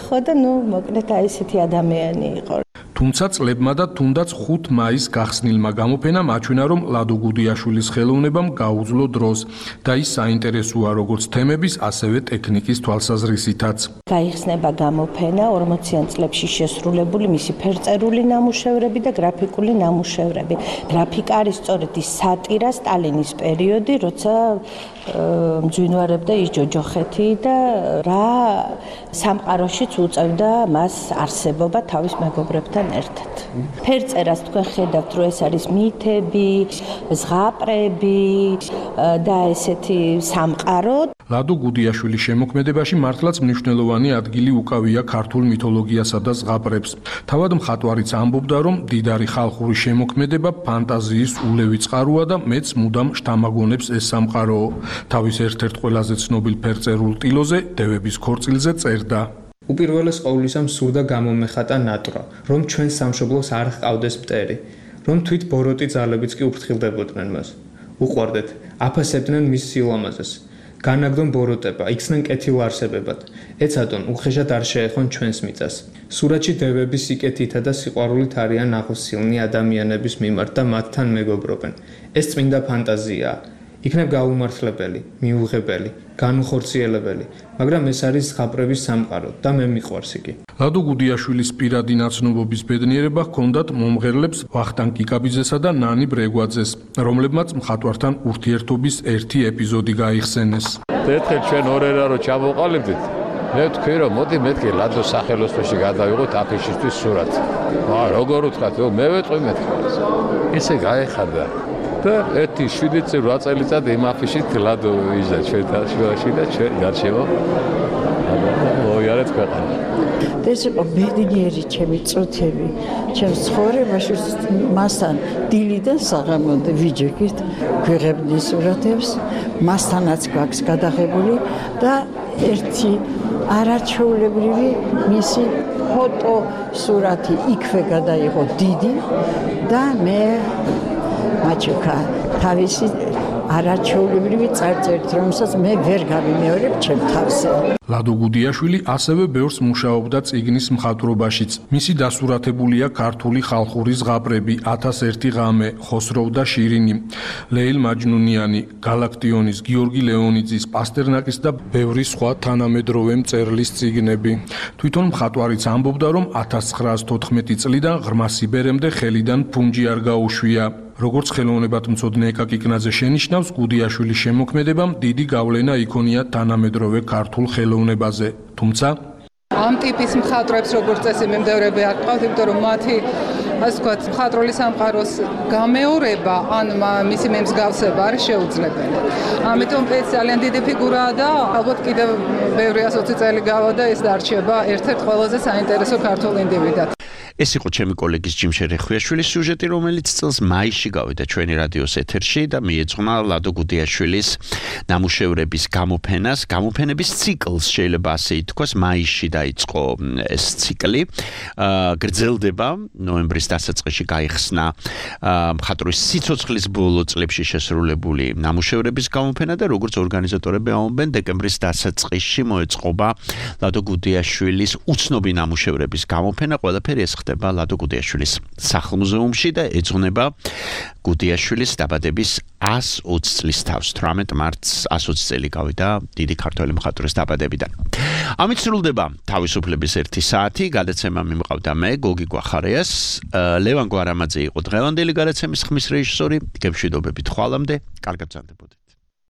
S13: ხო და ნუ მოკლედ აი ესეთი ადამიანი იყო.
S8: თუმცა წლებმა და თუნდაც ხუთ მაისს გახსნილმა გამოფენამ აჩვენა, რომ ლადო გუდიაშვილის ხელოვნებამ გაუძლო დროს და ის საინტერესოა როგორც თემების, ასევე ტექნიკის თვალსაზრისითაც.
S13: გაიხსნება გამოფენა ორმოციან წლებში შესრულებული მისი ფერწერული ნამუშევრები და გრაფიკული ნამუშევრები. გრაფიკა არის სწორედ ის სატირა სტალინის პერიოდი, როცა მძვინვარებდა ის ჯოჯოხეთი და რა სამყაროშიც უწევდა მას არსებობა თავის მეგობრებთან ერთად. ფერწერას თქვენ ხედავთ, რომ ეს არის მითები, ზღაპრები და ესეთი სამყარო.
S8: ლადო გუდიაშვილის შემოქმედებაში მართლაც მნიშვნელოვანი ადგილი უკავია ქართულ მითოლოგიასა და ზღაპრებს. თავად მხატვარიც ამბობდა, რომ დიდარი ხალხური შემოქმედება ფანტაზიის ულევი წყაროა და მეც მუდამ შთამაგონებს ეს სამყაროო. თავის ერთ-ერთ ყველაზე ცნობილ ფერწერულ ტილოზე, დევების ქორწილზე წერდა.
S14: უპირველეს ყოვლისა მსურდა გამომეხატა ნატვრა, რომ ჩვენ სამშობლოს არ ჰყავდეს მტერი, რომ თვით ბოროტი ძალებიც კი უფრთხილდებოდნენ მას. უყვარდეთ, აფასებდნენ მის სილამაზეს. განაგდონ ბოროტება, იქცნენ კეთილ არსებებად. ეცადონ, უხეშად არ შეეხონ ჩვენს მიწას. სურათში დევები სიკეთითა და სიყვარულით არიან აღოსილნი ადამიანების მიმართ და მათთან მეგობრობენ. ეს წმინდა ფანტაზიაა. იქნებ გაუმართლებელი, მიუღებელი, განუხორციელებელი, მაგრამ ეს არის ზღაპრების სამყარო და მე მიყვარს იგი.
S8: ლადო გუდიაშვილის პირადი ნაცნობობის ბედნიერება ჰქონდათ მომღერლებს ვახტანგ კიკაბიძესა და ნანი ბრეგვაძეს, რომლებმაც მხატვართან ურთიერთობის ერთი ეპიზოდი გაიხსენეს.
S15: ერთხელ ჩვენ ორერა რო ჩამოყალიბდით, მე ვთქვი რომ მოდი მეთქი ლადოს სახელოსნოში გადავიღოთ აფიშისთვის სურათი. აა როგორ ვთქვათ, მე ვეტყვი მეთქი. ესე გაეხარდა. და ერთი შვიდი წელი რვა წელიწად იმ აფიშით ლადო ვიჟდა ჩვენთან შუაში და ჩვენ გარშემო მოიარეთ ქვეყანა.
S16: ეს იყო ბედნიერი ჩემი წუთები, ჩემს ცხოვრებაში მასთან დილიდან საღამომდე ვიჯექით, გვიღებდნენ სურათებს, მასთანაც გვაქვს გადაღებული და ერთი არაჩვეულებრივი მისი ფოტო სურათი იქვე გადაიღო დიდი და მე მაჩუკა თავისი არაჩვეულებრივი წარწერით, რომელსაც მე ვერ გავიმეორებ ჩემ თავზე.
S8: ლადო გუდიაშვილი ასევე ბევრს მუშაობდა წიგნის მხატვრობაშიც. მისი დასურათებულია ქართული ხალხური ზღაპრები, ათას ერთი ღამე, ხოსროვ და შირინი, ლეილ მაჯნუნიანი, გალაქტიონის, გიორგი ლეონიძის, პასტერნაკის და ბევრი სხვა თანამედროვე მწერლის წიგნები. თვითონ მხატვარიც ამბობდა, რომ ათას ცხრაას თოთხმეტი წლიდან ღრმა სიბერემდე ხელიდან ფუნჯი არ გაუშვია. როგორც ხელოვნებათმცოდნე ეკა კიკნაძე შენიშნავს, გუდიაშვილის შემოქმედებამ დიდი გავლენა იქონია თანამედროვე ქართულ ხელოვნებაზე. თუმცა
S10: ამ ტიპის მხატვრებს როგორც წესი მიმდევრები არ ყავთ, იმიტომ რომ მათი ასე ვთქვათ, მხატვრული სამყაროს გამეორება ან მისი მემსგავსება არის შეუძლებელი. ამიტომ ეს ძალიან დიდი ფიგურაა და ალბათ კიდევ ბევრი ოცი წელი გავა და ეს დარჩება ერთ-ერთ ყველაზე საინტერესო ქართულ ინდივიდად.
S3: ეს იყო ჩემი კოლეგის ჯიმ შერეხვიაშვილის სიუჟეტი, რომელიც წელს მაისში გავიდა ჩვენი რადიოს ეთერში და მიეძღვნა ლადო გუდიაშვილის ნამუშევრების გამოფენას, გამოფენების ციკლს შეიძლება ასე ითქვას, მაისში დაიწყო ეს ციკლი. გრძელდება ნოემბრის დასაწყისში გაიხსნა მხატვრის სიცოცხლის ბოლო წლებში შესრულებული ნამუშევრების გამოფენა და როგორც ორგანიზატორები ამბობენ, დეკემბრის დასაწყისში მოეწყობა ლადო გუდიაშვილის უცნობი ნამუშევრების გამოფენა. ყველაფერი ეს ხდება ლადო გუდიაშვილის სახლ-მუზეუმში და ეძღვნება გუდიაშვილის დაბადების ას ოცი წლის თავს. თვრამეტ მარტს ას ოცი წელი გავიდა დიდი ქართველი მხატვრის დაბადებიდან. ამით სრულდება თავისუფლების ერთი საათი. გადაცემა მიმყავდა მე, გოგი გვახარიას. ლევან გვარამაძე იყო დღევანდელი გადაცემის ხმის რეჟისორი. გემშვიდობებით ხვალამდე. კარგად გრძანდებოდეთ.